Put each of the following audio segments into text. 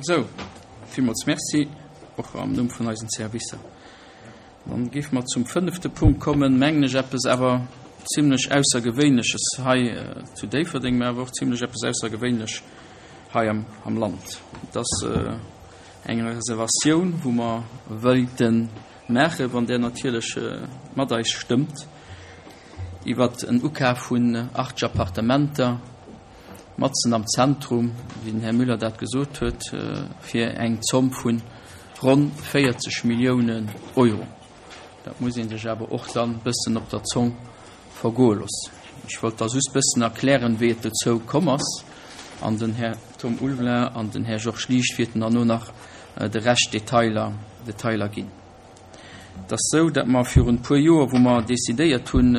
Sou, villmools Merci, och am Numm vun eisen Servicer. Dann géife mer zum fënnefte Punkt kommen, mengen ech, eppes awer zimlech Aussergewéinleches hei zu Déifferdeng, mä awer och zimlech eppes Aussergewéinlech hei am Land. Et ass eng Reservatioun, wou mer wëilte maachen, wann Der natierlech mat eis stëmmt, iwwer en Ukaf vun 80 Appartementer matzen am Zentrum, wéi den Här Müller dat gesot huet, fir eng Zomm vu ronn 40 Milliounen Euro. Dat muss ee sech awer och dann bëssen op der Zong vergoe loossen. Ech wollt da just bëssen erklären, wéi et dozou komm ass, an den Här Tom Ulvelin an den Här Georges Liesch wierten derno nach de Rescht Detailer, Detailer ginn. Et ass esou, datt mer virun e puer Joer, wou mer decidéiert hunn,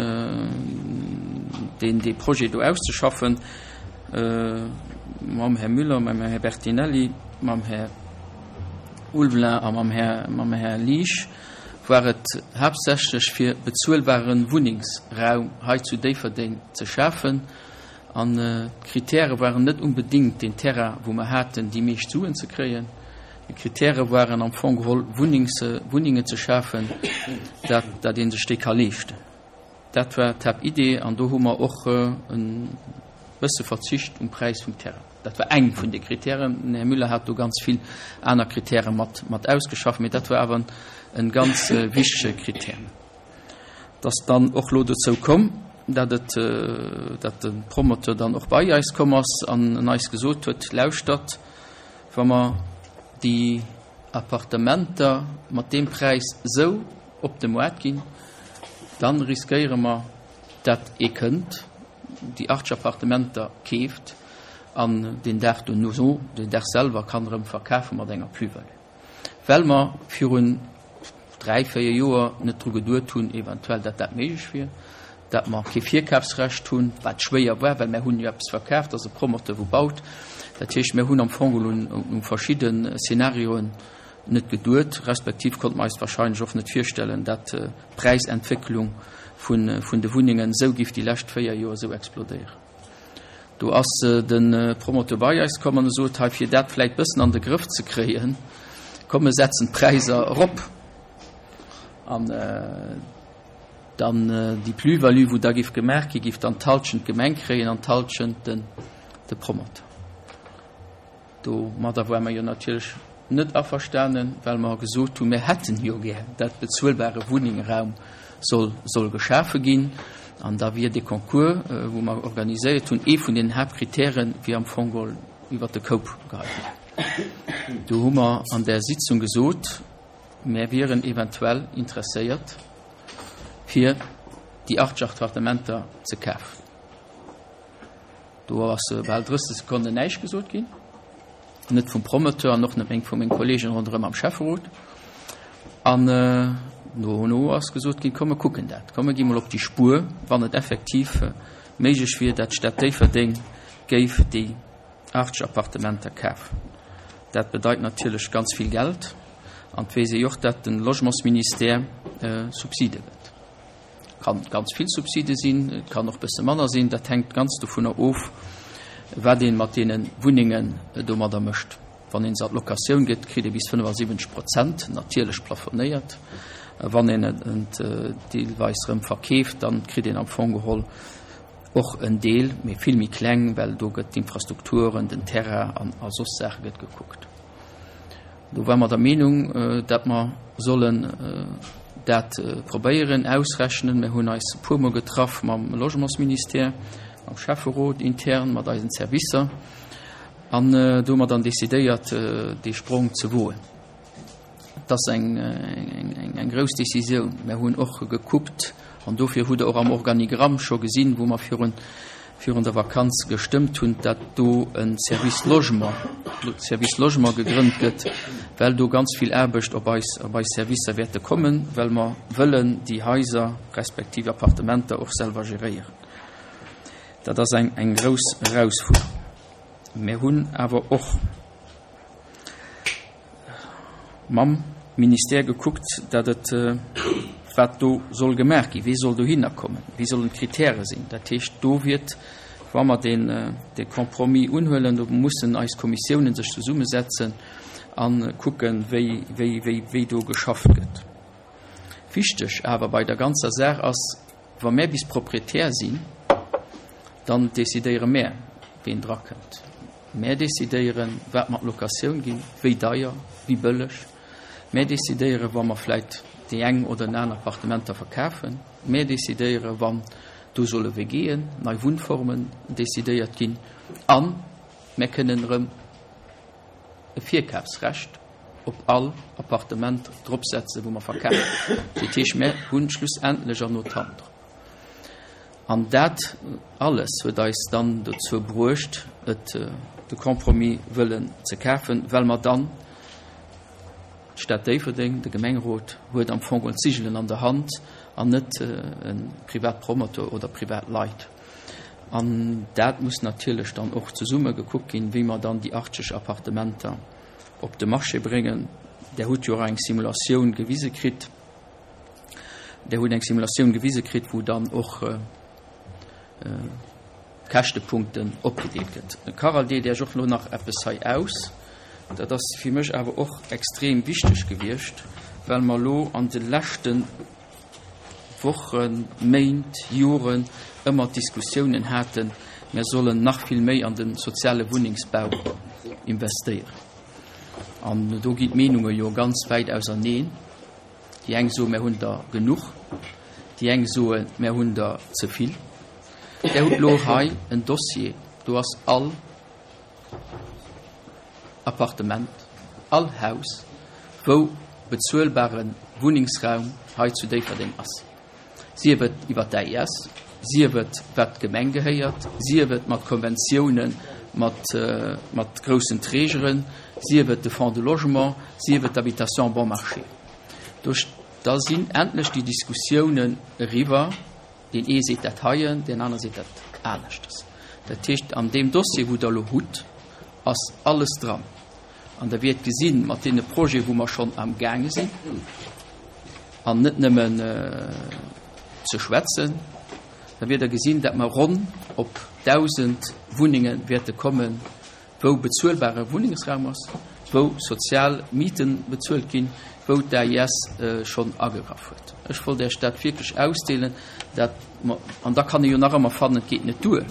deen, dee Projet do auszeschaffen, mam Här Müller, mam Här Bertinelli, mam Här Ulvelin a mam Här, mam Här Liesch, war et haaptsächlech fir bezuelbare Wunnengsraum hei zu Déifferdeng ze schafen. An d'Kritäre waren net unbedéngt deen Terrain, wou mer haten, déi meescht Suen ze kréien. Déi Kritäre waren am Fong geholl, Wunnings, Wunnengen ze schafen, dat, dat ee sech déi ka leeschten. Dat war d'Haaptidee an do hu mer och e bësse Verzicht um Präis vum Terrain. Dat war eng vun de Kritären. Den Här Müller hat do ganz vill aner Kritäre mat, mat ausgeschafft, mee dat war awer en ganz wichtege Kritär. Et ass dann och elo dozou komm, dat et, dat de Promoteur dann och bei eis komm ass an en eis gesot huet, Lauschtert, wa mer déi Appartementer mat deem Präis esou op de Moart ginn, da riskéiere mer, dat ee kënnt, déi 80 Appartementer keeft an deen Dag dono, deen Dag selwer kann erëm verkafe mat enger Plus-value. Well mer virun 3, 4 Joer net dru geduet hunn, eventuell, dat dat méiglech wier, dat mer kee Virkafsrecht hunn, wat schwéier war, well mer hunn jo eppes verkaaft, ass e Promoteur wou baut. Dat heescht, mer hunn am Fong geholl un verschidde Szenarioen net geduet, respektiv konnte mer eis wahrscheinlech och net virstellen, dat d'Präisentwécklung vun de Wunnengen esou géif déi lescht 4 Joer esou explodéieren. Do ass de Promoteur bei eis komm an e sot, hei fir dat vläit bëssen an de Grëff ze kréien, komm mir setzen d'Präisser erop an dann déi Plus-value wou da géif gemaach gi géif dann d'Halschent d'Gemeng kréien an d'Halschent de Promoteur. Domadder ware mer jo natierlech net averstanen, well mer gesot hunn, mir hätten jo gär, dat bezuelbare Wunningraum soll, soll geschafe ginn. An da wier dee Concours, wou mer organiséiert hunn, ee vun den Haaptkritären, wier am Fong geholl iwwert de Koup geheit ginn. Do hu mer an där Sitzung gesot, mer wieren eventuell interesséiert, fir déi 80 Appartementer ze kafen. Do ass bal 30 Sekonnen näischt gesot ginn, net vum Promoteur an och net meng vu menge Kolleegen ronderëm am Schäfferot. An no no ass gesot ginn, komm mer kucken dat, komm mer gi mol op déi Spuer, wann et effektiv méiglech wier, dat d'Stad Déifferdeng géif déi 80 Appartementer kafen. Dat bedeit natierlech ganz vill Geld an et weess ee jo och, dat de Logementsministère Subside gëtt. Kann ganz vill Subside sinn, et kann och bësse manner sinn, dat hänkt ganz dovunner of, wat ee mat deene Wunnengen domadder mécht. Wann ee se an d'Locatioun gëtt, kritt ee bis 75 Prozent, natierlech plafonéiert. Wann een et deelweis erëm verkeeft, dann kritt een am Fong geholl och en Deel, mee vill méi kleng, well do gëtt d'Infrastrukturen, den Terrain an a soss Saache gëtt gekuckt. Do ware mer der Meenung, datt mer sollen dat probéieren ausrechnen. Mir hunn eis e puermol getraff mam Logementsministère, mam Schäfferot intern, mat eisen Servicer an do hu mer dann decidéiert, dee Sprong ze woen. Et ass eng, eng, eng grouss Décisioun. Mir hunn och gekuckt, an dofir hutt Der och am Organigramm scho gesinn, wou mer virun, virun der Vakanz gestëmmt hunn, datt do e Service Logement, Service Logement gegrënnt gëtt, well do ganz vill Aarbecht op eis, op eis Servicer wäerte kommen, well mer wëllen déi Haiser respektiv Appartementer och selwer geréieren. Dat ass eng, eng grouss Erausfuerderung. Mir hunn awer och mam Ministère gekuckt, datt et, wat do soll gemaach ginn, wee soll dohinner kommen, wéi sollen d'Kritäre sinn. Dat heescht, do wiert Wa mer deen, dee Compromis unhuelen, do mussen eis Kommissiounen sech zesummesetzen a kucken, wéi, wéi, wéi, wéi do geschafft gëtt. Wichteg awer bei der ganzer Saach ass, Wa mär bis Proprietär sinn, dann decidéiere mär, ween drakënnt. Mär decidéieren, wat mer an d'Locatioun ginn, wéi deier, wéi bëlleg. Mär decidéieren, wa mer vläit déi eng oder den aner Appartementer verkafen. Mär decidéieren, wann do solle WGen, nei Wunnformen decidéiert ginn. A mär kënnen erëm e Virkafsrecht op all Appartement dropsetzen, wou mer verkafen. Dat heescht, mär hunn schlussendlech an d'Hand drop. An dat alles huet eis dann dozou bruecht, et de Compromis wëllen ze kafen, well mer dann, d'Stad Déifferdeng, de Gemengerot huet am Fong geholl d'Sigelen an der Hand an net e Privatpromoteur oder privat Leit. An dat muss natierlech dann och zesumme gekuckt ginn, wéi mer dann déi 80 Appartementer op de Marché bréngen. Der hutt jo och eng Simulatioun gewise kritt. Der hutt eng Simulatioun gewise kritt, wou dann och d'Käschtepunkten opgedeelt gëtt. De Carole deelt Iech och elo nach eppes hei aus. Dat ass fir mech awer och extrem wichteg gewiescht, well mer elo an de leschte Wochen, Méint, Joren ëmmer d'Diskussiounen haten, mer sollen nach vill méi an de soziale Wunnengsbau investéieren. An do ginn d'Meenunge jo ganz wäit auserneen. Déi eng soen, mär hunn der genuch, déi eng soen, mär hunn der ze vill. Där hutt elo hei en Dossier, do ass all Appartement, all Haus, wou bezuelbare Wunnengsraum hei zu Déifferdeng ass, sief et iwwer d'AIS, sief et wat d'Gemeng gehéiert, sief et mat Konventiounen mat, mat groussen Trägeren, sief et de Fonds de logement, sief et d'Habitation bon marché. Do, da sinn endlech déi Diskussiounen eriwwer. Deen ee seet dat heien, deen aner seet dat aneschtes. Dat heescht, an deem Dossier, wou Der elo hutt, ass alles dran. An Der wäert gesinn, mat deene Projeten, wou mer schonn amgaange sinn, an net nëmmen ze schwätzen, da wäert Der gesinn, datt mer ronn op 1.000 Wunnenge wäerte kommen, wou bezuelbare Wunnengsraum ass, wou sozial Miete bezuelt ginn, wou d'AIS schonn agegraff huet. Ech wollt Iech dat wierklech ausdeelen, dat mer, an da kann ee jo nach ëmmer fannen, et geet net duer,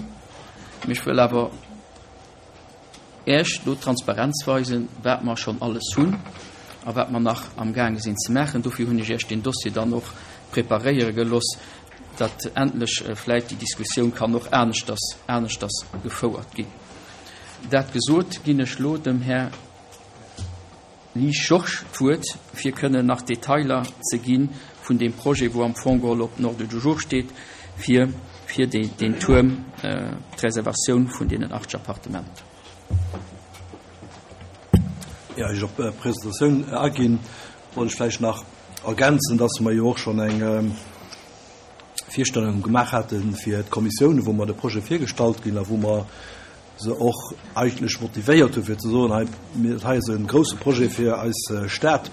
mee ech wëll awer Iech do Transparenz weisen, wat mer schonn alles hunn a wat mer nach amgaange sinn ze maachen. Dofir hunn ech Iech deen Dossier dann och preparéiere gelooss, datt endlech vläicht déi Diskussioun kann och aneschters, aneschters gefouert ginn. Dat gesot, ginn ech elo dem Här Lies Georges d'Wuert, fir kënnen nach Detailer ze gi vun deem Projet, wou am Fong geholl op den Ordre du jour steet, fir fir deen Tuerm, d'Reservatioun vun deenen 80 Appartementer. Ier ech op d'Presentatioun aginn, wollt ech vläicht nach ergänzen, dass mer jo och schonn eng Virstellung gemaach hate fir d'Kommissiounen, wou mer de Projet virgestallt ginn a wou mer se och eigentlech motivéiert hu fir ze soen, hei, dat hei ass e grouse Projet fir eis Stad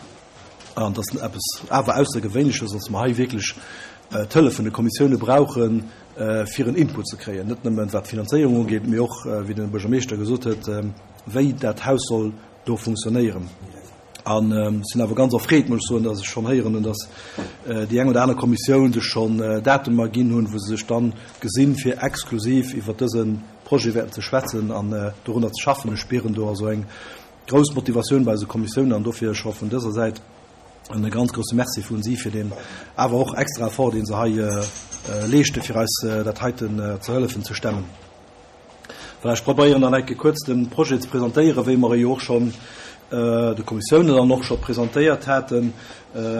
an dat ass eppes awer Aussergewéinleches, dass mer hei wierklech d'Hëllef vun de Kommissioune brauchen, fir en Input ze kréien, net nëmmen wat d'Finanzéierung ugeet, mee och, wéi de Buergermeeschter gesot huet, wéi dat Haus soll do funktionéieren. An sinn awer ganz erfreet, muss ech soen, dass ech schonn héieren hunn, dass déi eng oder aner Kommissioun sech schonn Datumer ginn hunn, wou se sech dann gesinn, fir exklusiv iwwert dëse Projet wäerten ze schwätzen an dorunner ze schaffen. Ech spieren do also eng grouss Motivatioun bei eise Kommissiounen an dofir scho vun dëser Säit e ganz grousse Merci vun si fir deen awer och extra Effort, dee se hei leeschten, fir eis dat heiten ze hëllefen ze stemmen. Voilà, ech probéieren dann eng Kéier kuerz de Projet ze presentéieren, wéi mer e jo och schonn de Kommissiounen dann och scho presentéiert haten,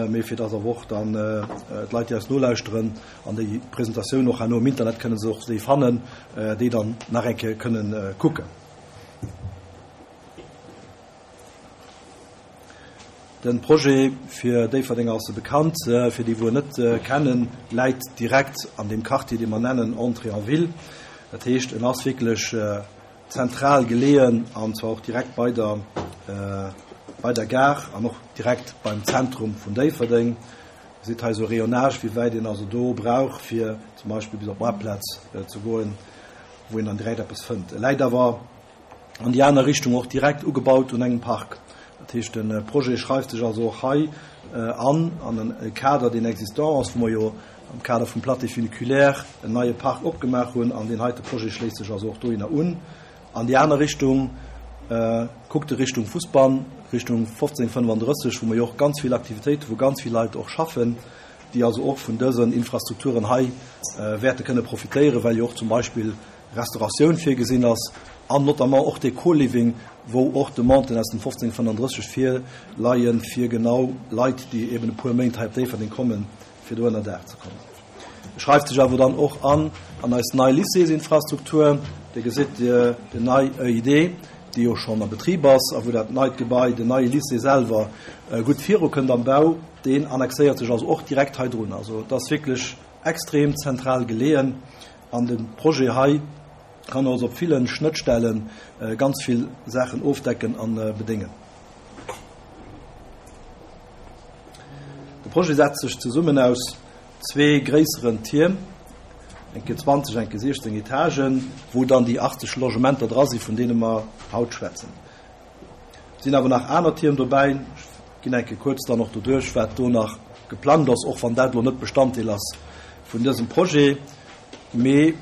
mee fir dass awer och dann d'Leit, déi eis nolauschteren an déi Presentatioun och herno am Internet kënnen se och déi fannen, déi dann nach eng Kéier kënnen kucken. Den Projet, fir Déifferdenger ass e bekannt, fir déi wou en net kennen, läit direkt an deem Quartier dee mer nennen Entrée en ville. Dat heescht en ass wierklech zentral geleeën an zwar och direkt bei der bei der Gare an och direkt beim Zentrum vun Déifferdeng. Dir gesitt hei esou e Rayonnage wéi wäit een also do brauch fir zum Beispill bis op d'Maartplaz ze goen. wou een dann direkt eppes fënnt. E läit awer an déi aner Richtung och direkt ugebaut un engem Park. Dat heescht, de Projet schreift sech also och hei an an e Kader, deen existant ass, wou mer jo am Kader vum Plateau funiculaire en neie Park opgemaach hunn, an deen heite Projet schléisst sech also och dohinner un. An déi aner Richtung kuckt e Richtung Fussbann, Richtung 1535, wou mer jo och ganz vill Aktivitéiten, wou ganz vill Leit och schaffen, déi also och vun dësen Infrastrukturen hei wäerte kënne profitéieren, well jo och zum Beispill Restauratioun virgesinn ass an notamment och dee Co-Living, wou och Demanden aus dem 1535 virleien, fir genau Leit, déi eben e puer Méint hei op Déifferdeng kommen, fir do ënner Daach ze kommen. E schreift sech awer dann och an an eis nei Lycéesinfrastruktur. Dir gesitt déi nei EID, déi jo schonn a Betrib ass a wou dat neit Gebai, den neie Lycée selwer gutt virukënnt am Bau. Deen annexéiert sech also och direkt hei drun. Also et ass wierklech extrem zentral geleeën an de Projet hei kann also op ville Schnëttstelle ganz vill Saachen ofdecken a bedéngen. De Projet setzt sech zesummen aus zwee gréisseren Tierm, eng Kéier 20, eng Kéier 16 Etagen, wou dann déi 80 Logementer dra si vun deene mer haut schwätzen. Et sinn awer nach aner Tierm dobäi. Ech ginn eng Kéier kuerz dann och doduerch, wat do nach geplangt ass, och wann dat elo net Bestanddeel ass vun dësem Projet. Mee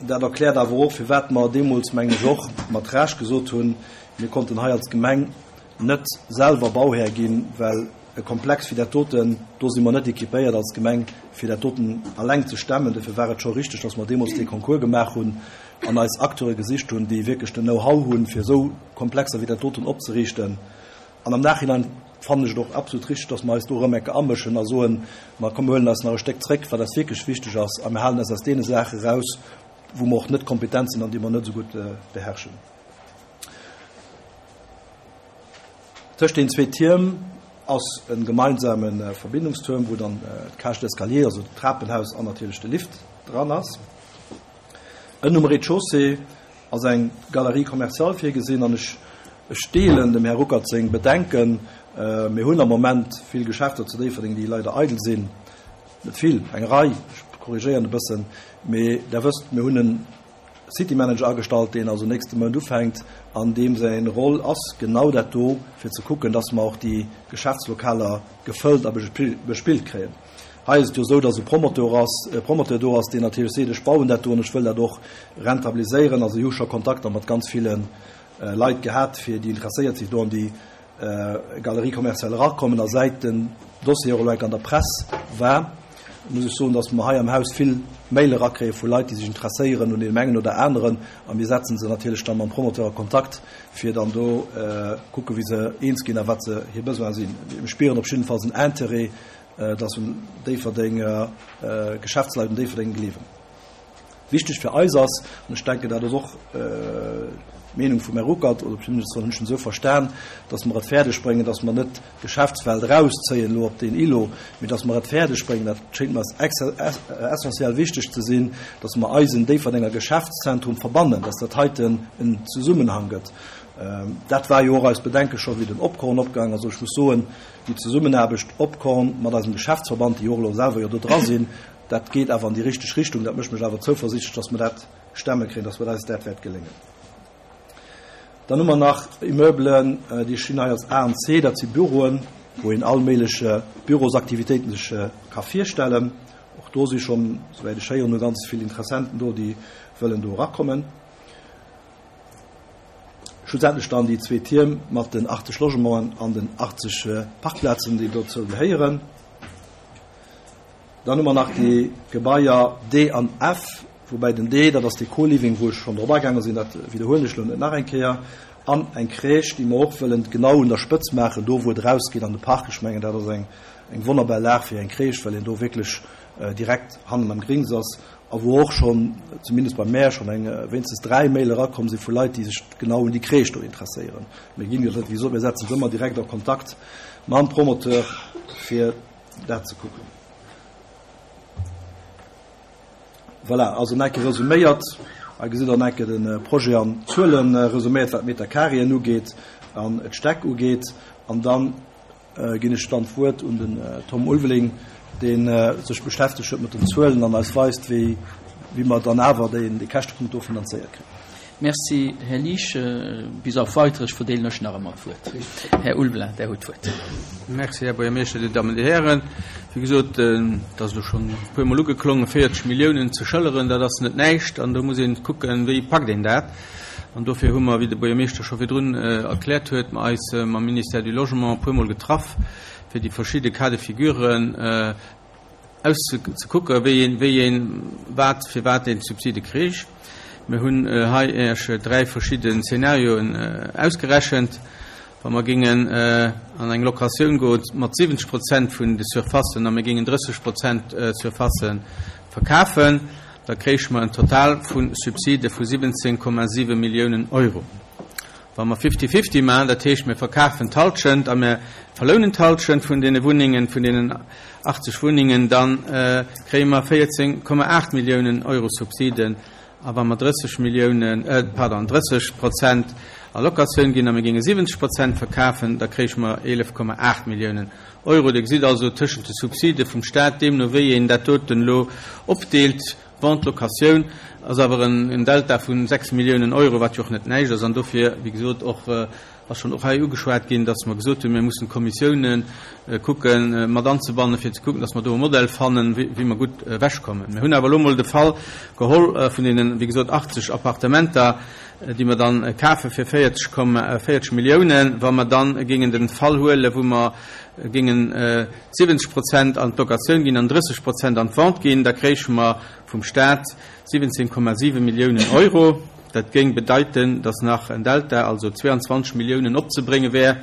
dat erkläert awer och, firwat mer deemools, mengen ech, och mat Recht gesot hunn, mir konnten hei als Gemeng net selwer Bauhär ginn, well e Komplex wéi dat doten, do si mer net équipéiert als Gemeng, fir dat doten alleng ze stemmen. Dofir war et scho richteg, dass mer deemools dee Concours gemaach hunn an eis Acteure gesicht hunn, déi wierklech den Know-how hunn, fir esou Komplexer wéi dat doten opzeriichten. An am Nachhinein fannen ech et och absolut richteg, dass mer eis do erëm eng Kéier amëschen a soen, Ma komm, mir huelen eis nach e Stéck zréck, wat eis wierklech wichteg ass, a mir halen eis aus deene Saache raus, wou mer och net kompetent sinn an déi mer net esou gutt beherrschen. Tëscht den zwee Tierm ass e gemeinsame Verbindungstuerm, wou dann d'Cage d'escalier, also d'Trapenhaus an natierlech de Lift dran ass. Ënnen um Rez-de-chaussée ass eng Galerie commerciale virgesinn an ech ech deelen dem Här Ruckert seng Bedenken. Mir hunn am Moment vill Geschäfter zu Déifferdeng, déi leider eidel sinn. Net vill, eng Rei, ech korrigéieren e bëssen, mee Der wësst, mir hunn en City Manager agestallt, deen also nächste Mount ufänkt an deem säi Roll ass genau dat do, fir ze kucken, dass mer och déi Geschäftslokaler gefëllt a bespillt kréien. Hei ass et jo esou, dass e Promoteur ass, e Promoteur do ass, deen natierlech seet, ech bauen dat do an ech wëll dat och rentabiliséieren. Also ech hu scho Kontakter mat ganz ville Leit gehat, fir déi interesséiert sinn, do an déi Galerie commerciale erakommen. A säit den Dossier och elo enk an der Press war, muss ech soen, dass mer hei am Haus vill Maile erakréie vu Leit, déi sech interesséieren un deem engen oder aneren. A mir setze se natierlech da mam Promoteur a Kontakt, fir dann do kucke wéi se eens ginn a wat se hir Besoine sinn. Mir spieren op jiddefalls en Intérêt, dass un Déifferdenger Geschäftsleit un Déifferdeng gleewen. Wichteg fir eis ass, an ech denken, dat ass och d'Meenung vum Här Ruckert, oder zumindest hunn ech en esou verstan, dass mer et fäerdeg bréngen, dass mer net d'Geschäftswelt erauszéien elo op deen Îlot, mee dass mer et fäerdeg bréngen, dat schéngt mer essentiell wichteg ze sinn, dass mer eisen Déifferdenger Geschäftszentrum verbannen, dass dat heiten en Zesummenhang gëtt. Dat war jo och eist Bedenke scho wéi den Opkorn opgaang ass. Ech muss soen, déi Zesummenaarbecht Opkorn mat eisem Geschäftsverband, déi jo och elo selwer jo do dra sinn, Dat geet awer an déi richteg Richtung. Dat mécht mech awer zouversiichtlech, dass mer dat stemme kréien, dass mer eis dat wäert geléngen. Dann hu mer nach Immeublen, déi stinn hei als A an C. Dat si Büroen, wou een all méiglech Bürosaktivitéiten sech ka virstellen. Och do si schonn, souwäit ech héieren hu, ganz vill Interessenten do, déi wëllen do erakommen. Schlussendlech dann déi zwee Tierm mat den 80 Logementen an den 80 Parkplazen, déi dozou gehéieren. Dann hu mer nach déi Gebaier D an F, woubäi den D, dat ass dee Co-Living, wou ech schonn drop agaange sinn, dat widderhuelen ech elo net nach eng Kéier, an eng Crèche, déi mer och wëllen genau un der Spëtz maachen, do wou et erausgeet an de Park. Ech mengen, dat ass eng, eng wonnerbar Lag fir eng Crèche, well een do wierklech direkt hannen am Grings ass a wou och schonn, zumindest bei mär, schonn eng, wéinstens 3 Mail erakomm si vu Leit, déi sech genau un déi Crèche do interesséieren. Mir ginn jo, wéi gesot, mir setzen se ëmmer direkt a Kontakt mam Promoteur, fir dat ze kucken. Voilà, also nach eng Kéier resuméiert. Hei gesitt Der nach eng Kéier de Projet an Zuele resuméiert, wat d'Metercarréen ugeet an d'Stäck ugeet. An da ginn ech dann d'Wuert un den Tom Ulveling, dee sech beschäftegt huet mat den Zuelen an eis weist, wéi. wéi mer dann awer dee Käschtepunkt do finanzéiert kréien. Merci, Här Liesch. Bis auf Weiteres verdeelen ech nach ëmmer d'Wuert. Här Ulveling, Der hutt d'Wuert. Merci, Här Buergermeeschter, Dir Dammen, Dir Hären. Wéi gesot, et ass elo schonn e puermol ugeklongen, 40 Milliounen ze schëlleren, dat ass net näischt. An do muss een kucken, wéi packt een dat. An dofir hu mer, wéi de Buergermeeschter scho virdrun erkläert huet, mer eis mam Ministère du Logement e puermol getraff, fir déi verschidde Cas de figuren auszekucken, wéi een, wéi een wat, fir wat een d'Subside kriich. Mir hunn hei Iech dräi verschidde Szenarioen ausgerechent. Wa mer géingen an eng Locatioun goen mat 70 Prozent vun de Surfacen a mir géingen 30 Prozent Surfacë verkafen, da kréiche mer en Total vu Subside vu 17,7 Milliounen Euro. Wa mer Fifty-fifty maachen, dat heescht mir verkafen d'Halschent a mir verlounen d'Halschent vun deene Wunnengen, vun deenen 80 Wunnengen, da kréie mer 14,8 Milliounen Euro Subsiden. A wa mer 30 Milliounen, pardon, 30 Prozent a Locatioun ginn a mir géinge 70 Prozent verkafen, da kréiche mer 11,8 Milliounen Euro. Dir gesitt also, tëschent de Subside vum Stat, deemno wéi een dat doten elo opdeelt, Vente, Locatioun, ass awer en Delta vu 6 Milliounen Euro, wat jo och net näischt ass. An dofir, wéi gesot, och ass schonn och hei ugeschwat ginn, dass mer gesot hunn, mir mussen d'Kommissiounen kucken mat anzebannen, fir ze kucken, dass mer do e Modell fannen, wéi mer gutt ewechkommen. Mir hunn awer elo emol de Fall geholl vun deenen, wéi gesot, 80 Appartementer, déi mer dann kafe fir 40 Milliounen. Wa mer dann géingen de Fall huelen, wou mer géingen 70 Prozent an d'Locatioun ginn an 30 Prozent an d'Vente ginn, da kréiche mer vum Stat 17,7 Milliounen Euro. Dat géing bedeiten, dass nach en Delta, also 22 Milliounen, opzebrénge wär,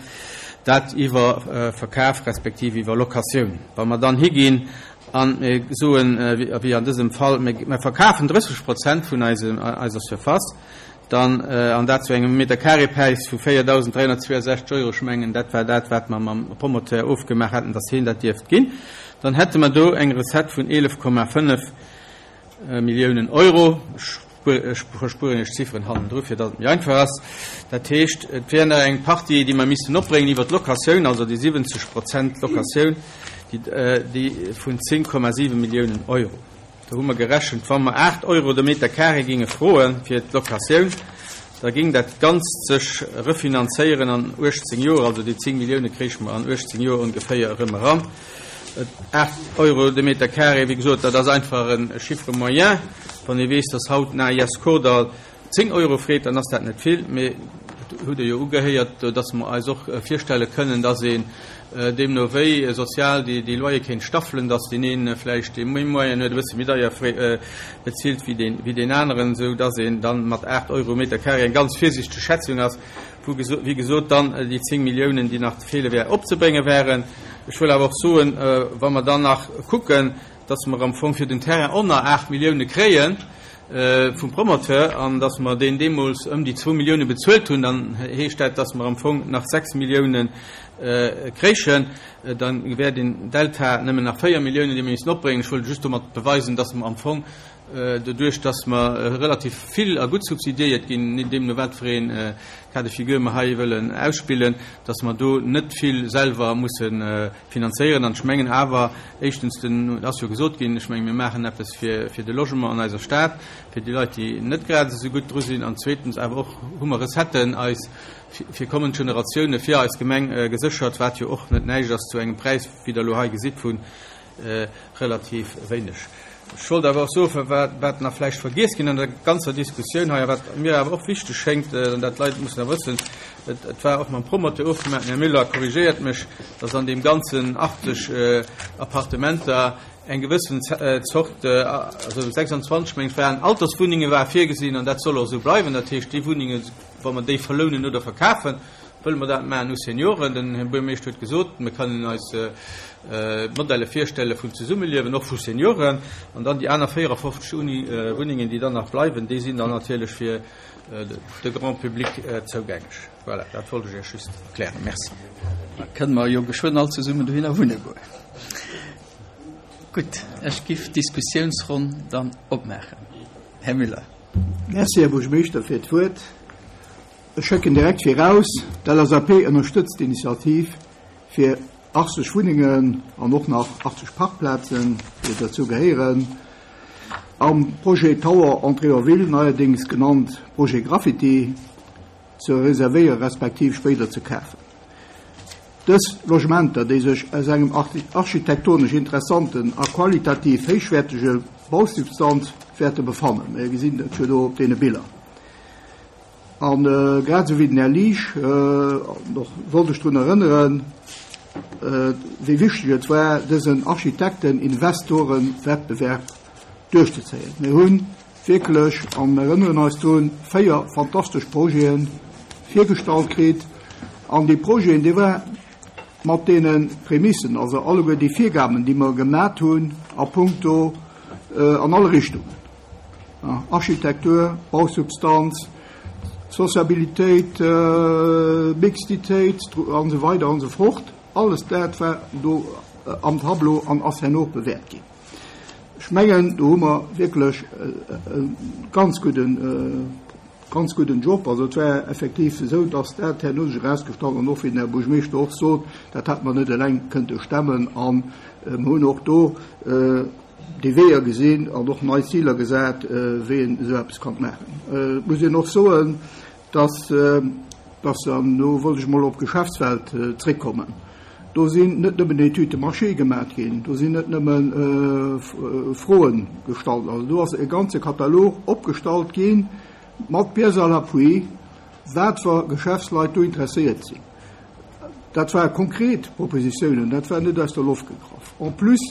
dat iwwer Verkaf respektiv iwwer Locatioun. Wa mer dann higinn a mir soen, wéi an dësem Fall, mir verkafen 30 Prozent vun eiser Surface, dann, an dat zu engem Meterkareepräis vu 4.362 Euro, ech mengen, dat war dat, wat mer mam Promoteur ofgemaach haten, dass hien dat dierft ginn, dann hätte mer do eng Recette vun 11,5 Milliounen Euro. Ech verspueren Iech d'Zifferen hannendru, fir datt et méi einfach ass. Dat heescht, et wär nach eng Partie, déi mer missten opbréngen iwwer d'Locatioun, also déi 70 Prozent Locatioun, déi vun 10,7 Milliounen Euro. Do hu mer gerechent, wa mer 8 Euro de Meter carré géinge froe fir d'Locatioun, da géing dat Ganzt sech refinanzéieren an 18 Joer, also déi 10 Millioune kréiche mer an 18 Joer ongeféier erëm eran. 8 Euro de Meter carré, wéi gesot, dat ass einfach e Chiffre moyen. Wann ee weess, datt haut den AIS Kordall 10 Euro freet, dann ass dat net vill, mee et hutt Der jo ugehéiert, datt mer eis och virstelle kënnen, datt een deemno wéi sozial déi Loyer kéint staffelen, datt deen ee vläicht, dee méi Moyen huet, e bësse méi deier bezilt wéi deen aneren, esou datt een dann mat 8 Euro Meter carré, eng ganz virsichteg Schätzung ass, wou wéi gesot dann déi 10 Milliounen, déi nach feele wären, opzebrénge wären. Ech wëll awer och soen, wa mer dann nach kucken, dass mer am Fong fir den Terrain ënner 8 Millioune kréie vum Promoteur an dass mer deen deemools ëm déi zwou Millioune bezuelt hunn, dann heescht dat, dass mer am Fong nach 6 Millioune kréichen. Dann wär den Delta nëmmen nach 4 Milliounen, déi mer missten opbréngen. Ech wollt just domat beweisen, dass mer am Fong doduerch, dass mer relativ vill a gutt subsidiéiert ginn, deemno wat fir ee Cas de figure mer hei wëllen ausspillen, dass mer do net vill selwer musse finanzéieren. An ech mengen awer, éischtens, den, et ass jo gesot ginn, ech menge mir maachen eppes fir, fir de Logement an eiser Stad, fir déi Leit, déi net grad esou gutt dru sinn, an zweetens awer och hu mer Recetten eis fir kommend Generatioune fir eis Gemeng geséchert, wat jo och net näischt ass zu engem Präis, wéi Der elo hei gesitt, vu relativ wéineg. Ech wollt awer och soen, wat nach vläicht vergiess ginn an der ganzer Diskussioun hei a wat mir awer och wichteg schéngt, an dat d'Leit mussen awer wëssen, et war och mam Promoteur ofgemaach, den Här Müller korrigéiert mech, dass an deem ganzen 80 Appartementer eng gewëssen Zort, also 26 meng ech waren Alterswunnenge war virgesinn an dat soll och esou bleiwen. Dat heescht, déi Wunnenge wa mer déi verlounen oder verkafen, Wëlle mer dat maachen u Senioren? Den Här Buergermeeschter huet gesot, mir kënnen eis Modelle virstelle vun Zesummeliewen, och vu Senioren. An dann déi aner 54 Wunnengen, déi dann nach bleiwen, déi sinn dann natierlech fir de Grand public zougänglech. Voilà, dat wollt ech Iech just erklären. Merci. Da kënne mer jo geschwënn all zesummen dohinner wunne goen. Gutt, ech giff d'Diskussiounsronn dann opmaachen. Här Müller. Merci, Här Buergermeeschter, fir d'Wuert. Ech schécken direkt viraus, d'LSAP ënnerstëtzt d'Initiativ fir 80 Wunnengen an och nach 80 Parkplazen, déi dozou gehéieren. Am Projet Tower Entrée en Ville, neierdéngs genannt Projet Graffiti, ze reservéiere respektiv spéider ze kafen. Dës Logementer, déi sech aus engem architektonesch interessanten a qualitativ héichwäertege Bausubstanz wäerte befannen, mir gesinn dat jo do op deene Biller, a grad esou wéi den Här Liesch och wollt ech drun erënneren, wéi wichteg et war, dësen Architekten-Investoren-Wettbewerb duerchzezéien. Mir hunn wierklech, an mir erënneren eis drun, 4 fantastesch Projete virgestallt kritt. An déi Projeten, déi war mat deene Prämissen, also alleguer déi Virgaben, déi mer gemat hunn a puncto an alle Richtungen, Architektur, Bausubstanz, Sociabilitéit, Mixtitéit an esou weider an esou fort, alles dat war do am Tableau an ass herno och bewäert ginn. Ech mengen, do hu mer wierklech e ganz gudden, ganz gudden Job. Also et war effektiv esou, dass dat herno sech erausgestallt an och wéi den Här Buergermeeschter och sot, dat hätte mer net eleng kënnte stemmen. A mer hunn och do déi Weeër gesinn an och nei Ziler gesat, wéi een esou eppes kann maachen. Et muss een och soen, dass, dass, an do wollt ech emol op d'Geschäftswelt zréckkommen, do sinn net nëmmen Études de marché gemaat ginn, do sinn net nëmme Froen gestallt, also do ass e ganze Katalog opgestallt gi mat Pièces à l'appui, wat fir Geschäftsleit do interesséiert sinn. Dat ware konkret Propositiounen, dat war net aus der Loft gegraff. En plus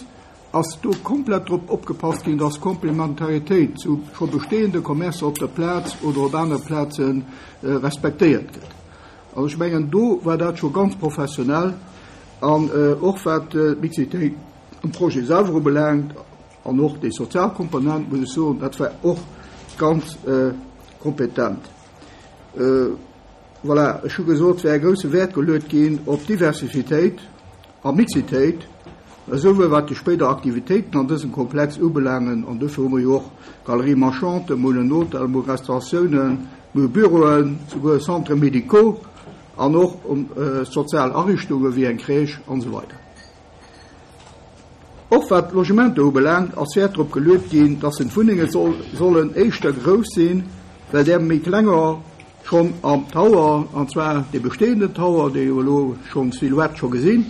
ass do komplett drop opgepasst ginn, dass Komplementaritéit zu scho bestehende Commercer op der Plaz oder op anere Plaze respektéiert gëtt. Also ech mengen, do war dat scho ganz professionell. An och wat d'Mixitéit am Projet selwer ubelaangt an och déi sozial Komponent, muss ech soen, dat war och ganz kompetent. Voilà, ech hu gesot, et wär e grousse Wäert geluet ginn op Diversifitéit a Mixitéit, esouwuel wat déi spéider Aktivitéiten an dësem Komplex ubelaangen, an dofir hu mer jo och Galeries marchandes, mer hunn en Hotel, mer hu Restauratiounen, mer hu Büroen, souguer Centres médicaux an och sozial Ariichtunge wéi eng Crèche an esou weider. Och wat d'Logementer ubelaangt, ass Wäert drop geluet ginn, dass en d'Wunnenge sollen éischter grouss sinn, well där méi klenger schonn am Tower, an zwar dee bestehenden Tower, dee jo elo schonn d'Silhouette scho gesinn,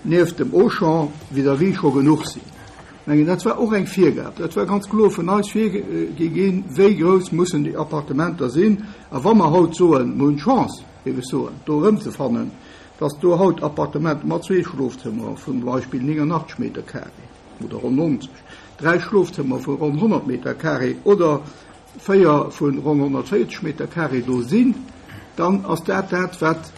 nieft dem Auchan vis-à-vis scho genuch sinn. Ech mengen, dat war och eng Virgab, dat war ganz kloer vun eis virgi ginn, wéi grouss mussen déi Appartementer sinn. A wa mer haut soen, mer hunn d'Chance, géif ech soen, do erëmzefannen, dass do haut Appartementer mat zwee Schlofzëmmer vun zum Beispill 89 Meter carré oder ronn 90, dräi Schlofzëmmer vu ronn 100 Meter carré oder 4 vu ronn 140 Meter carré do sinn, dann ass dat dat, wat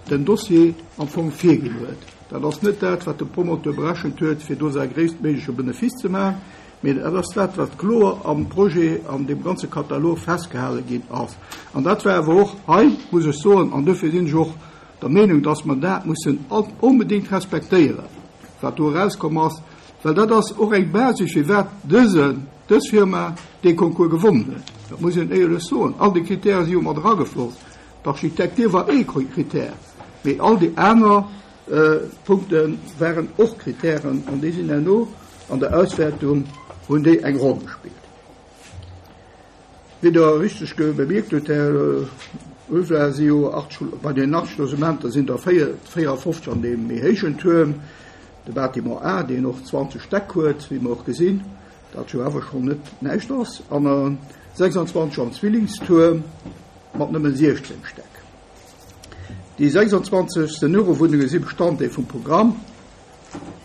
den Dossier am Fong virginn huet. Dat ass net dat, wat de Promoteur berechent huet, fir do säi gréisstméigleche Benefice ze maachen, mee dat ass dat, wat kloer am Projet, an deem ganze Katalog festgehale ginn ass. An dat war awer och hei, muss ech soen, an dofir sinn ech och der Meenung, dass mer dat mussen onbedéngt respektéieren, wat do erauskomm ass, well dat ass och eng Basis, firwat dësen, dës Firma dee Concours gewonnen huet. Dat muss een éierlech soen. All déi Kritäre si jo mat eragefloss. D'Architektur war ee Kritär, mee all déi aner Punkte waren och Kritären an déi sinn herno an der Auswäertung, hunn déi eng Roll gespillt. Wéi Der richteg bemierkt hutt, Här Ulveling, si jo bei den 80 Logementer sinn der 54 an deem méi héijen Tuerm, de Bâtiment A, deen och 20 Stäck huet, wéi mer och gesinn, dat jo awer schonn net näischt ass, an 26 am Zwillingstuerm mat nëmme 16 Stäck. Déi 26 Seniorewunnenge si Bestanddeel vum Programm.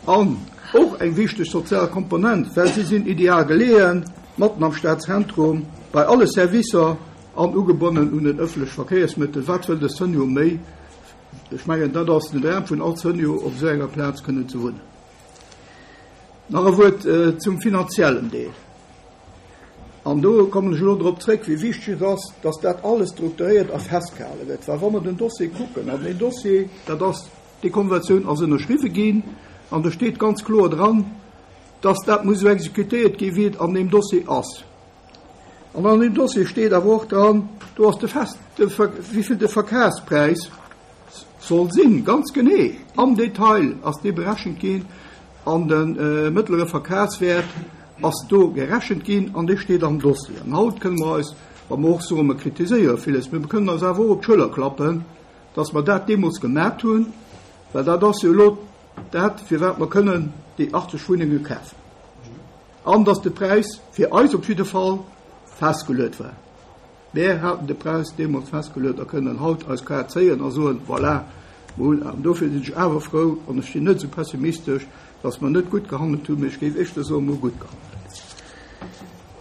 An och eng wichteg sozial Komponent, well si sinn ideal geleeën, matten am Stadzentrum, bei alle Servicer an ugebonnen un den ëffentleche Verkéiersmëttel. Wat wëll de Senior méi? Ech mengen, dat ass den Dram vun all Senior, op esou enger Plaz kënnen ze wunnen. Nach e Wuert zum finanziellen Deel. An do kommen ech elo drop zréck, wéi wichteg et ass, dass dat alles strukturéiert a festgehale gëtt. Well wa mer den Dossier kucken, an deen Dossier, dat ass Déi Konventioun ass ënnerschriwwe ginn an do steet ganz kloer dran, dass dat muss esou exekutéiert ginn, wéi et an deem Dossier ass. An an deem Dossier steet awer och dran, do ass de fest, wéi vill de Verkafspräis soll sinn, ganz genee am Detail ass dee berechent ginn an de mëttlere Verkafswäert. ass do gerechent ginn an dee steet am Dossier. An haut kënne mer eis, wa mer och soen, mer kritiséiere villes, mee mer kënnen eis awer och op d'Schëller klappen, dass mer dat deemools gemat hunn, well dat ass jo elo dat, firwat mer kënnen déi 80 Wunnenge kafen. An dass de Präis fir eis op jidde Fall festgeluet war. Mär haten de Präis deemools festgeluet a kënnen haut eis Kaart zéien a soen, Voilà, mer hunn. An dofir sinn ech awer frou an ech sinn net esou pessimistesch, dass mer net gutt gehandelt hunn, mee ech géif éischter soen, mer hu gutt gehandelt.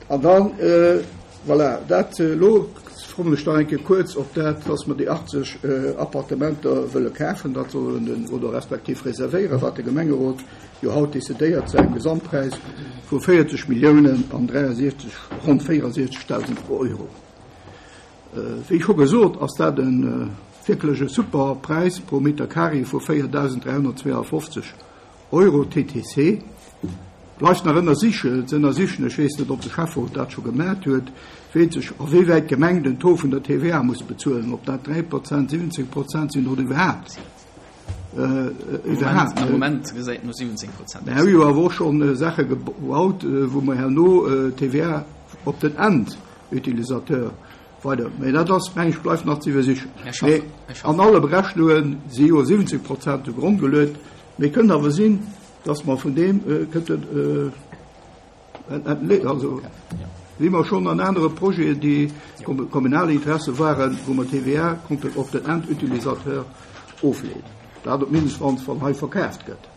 An dann, voilà, dat elo kommen ech nach eng Kéier kuerz op dat, dass mer déi 80 Appartementer wëlle kafen, dat sollen den, oder respektiv reservéieren, wat de Gemengerot jo haut decidéiert, zu engem Gesamtpräis vu 40 Milliounen an 63, ronn 64.000 Euro. Wéi scho gesot, ass dat e wierklech e super Präis pro Meter carré vu 4.352 Euro TTC. Bleift nach ënnersichen, ze ënnersichen, ech weess net, ob de Schäfferot dat scho gemat huet, wéi sech a wéi wäit d'Gemeng den Taux vun der TVA muss bezuelen, ob dat 3 Prozent, 17 Prozent sinn oder iwwerhaapt. Iwwerhaapt. Am Moment gesäit no 17 Prozent aus. Mir hu jo awer och schonn Saache gebaut, wou mer herno TVA op den Endutilisateur weider. Mä dat ass, meng ech, bleift nach ze iwwersichen. Mä an alle Berechnunge si jo 17 Prozent zu Gronn geluet. Mee kënnt awer sinn, dass mer vun deem kënnten, Also, wéi mer schonn an anere Projeten, déi kommunale Interesse waren, wou mer d'TVA konnten op den Endutilisateur ofleeden. Dat op d'mannst, wann wann hei verkaaft gëtt.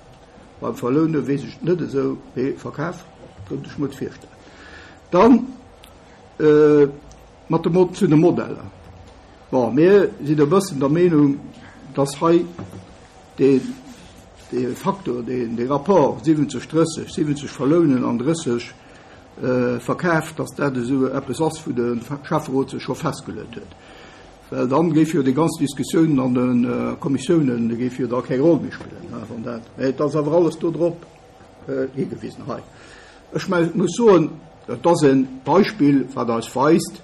Beim Verloune weess ech et net esou, mee Verkaf kënnt ech mer et virstellen. Dann mat de zu de Modeller. Bon, mir sinn e bëssen der Meenung, dass hei dee dee Faktor, deen dee Rapport 70, 30, 70 verlounen an 30 verkaf, datt dat esou eppes ass, wou de Schäfferot sech scho festgeluet huet. Well dann géif jo déi ganz Diskussioun an de Kommissiounen, déi géif jo da keng Roll méi spillen, wann dat, mä et ass awer alles do drop higewisen hei. Ech muss soen, et ass e Beispill, wat eis weist,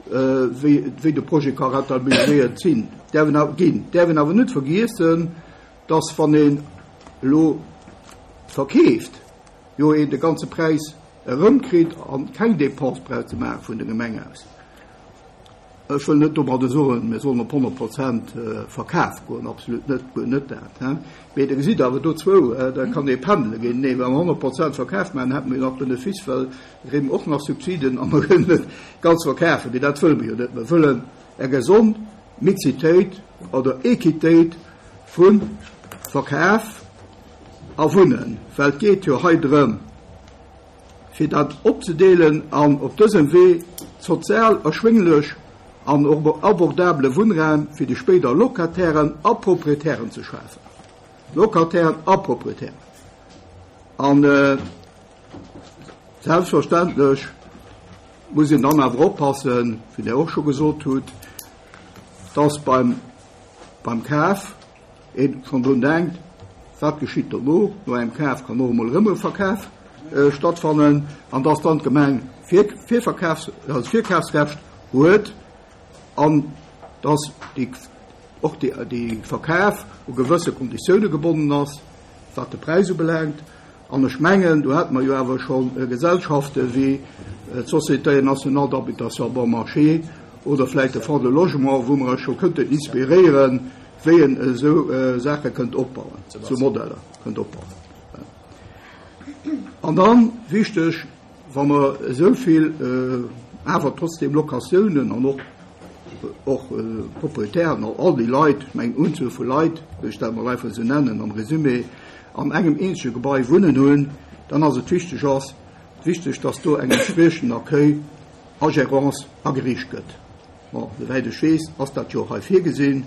wéi de Projet ka rentabiliséiert sinn, däerf een ginn. Däerf een awer net vergiessen, dass wann een elo verkeeft, jo een de ganze Präis erëmkritt an keng Dépense brauch ze maache vun der Gemeng aus. Ech wëll net domadder soen, mir sollen op 100 Prozent Verkaf goen, absolut net, guer net dat. Mee Der gesitt awer do zwou, da kann ee pendele ginn. Nee, wa mer 100 Prozent Verkaf maachen, hätte mer jo nach Benefice, well da kréie mer och nach Subsiden a mer kënnen et ganz verkafen. Mee dat wëlle mer jo net. Mer wëllen eng gesond Mixitéit oder Equitéit vu Verkaf a Wunnen, well et geet jo hei drëm, fir dat opzedeelen an op dësem Wee sozial erschwénglech an och abordabele Wunnraum fir déi spéider Locatairen a Proprietären ze schafen. Locatairen a Proprietären. An selbstverständlech muss een dann awer oppassen, wéi Der och scho gesot hutt, dass beim, beim Kaf, Een schonn drun denkt, wat geschitt dono, no engem Kaf kann och emol erëm e Verkaf stattfannen, an dass dann d'Gemeng Virverkafs-, also Virkafsrecht huet an dass déi, och déi Verkaf u gewësse Konditioune gebonnen ass, wat de Präis ubelaangt. An ech mengen, do hate mer jo awer scho Gesellschafte wéi d'Société nationale d'habitation bon marché oder vläicht de Fonds de logement, wou mer eis scho kënnten inspiréieren, wéi een esou Saache kënnt opbauen, esou Modeller kënnt opbauen. An dann, wichteg, wa mer esou vill awer trotzdem Locatiounen an och och Proprietären, all déi Leit, ech mengen Unzuel vu Leit, wëll ech dat emol einfach esou nennen am Résumé, an engem eenzege Gebai wunnen hunn, dann ass et wichteg ass wichteg, dass do eng entspriechend Accueil a Gérance ageriicht gëtt. Bon, souwäit ech weess, ass dat jo och hei virgesinn.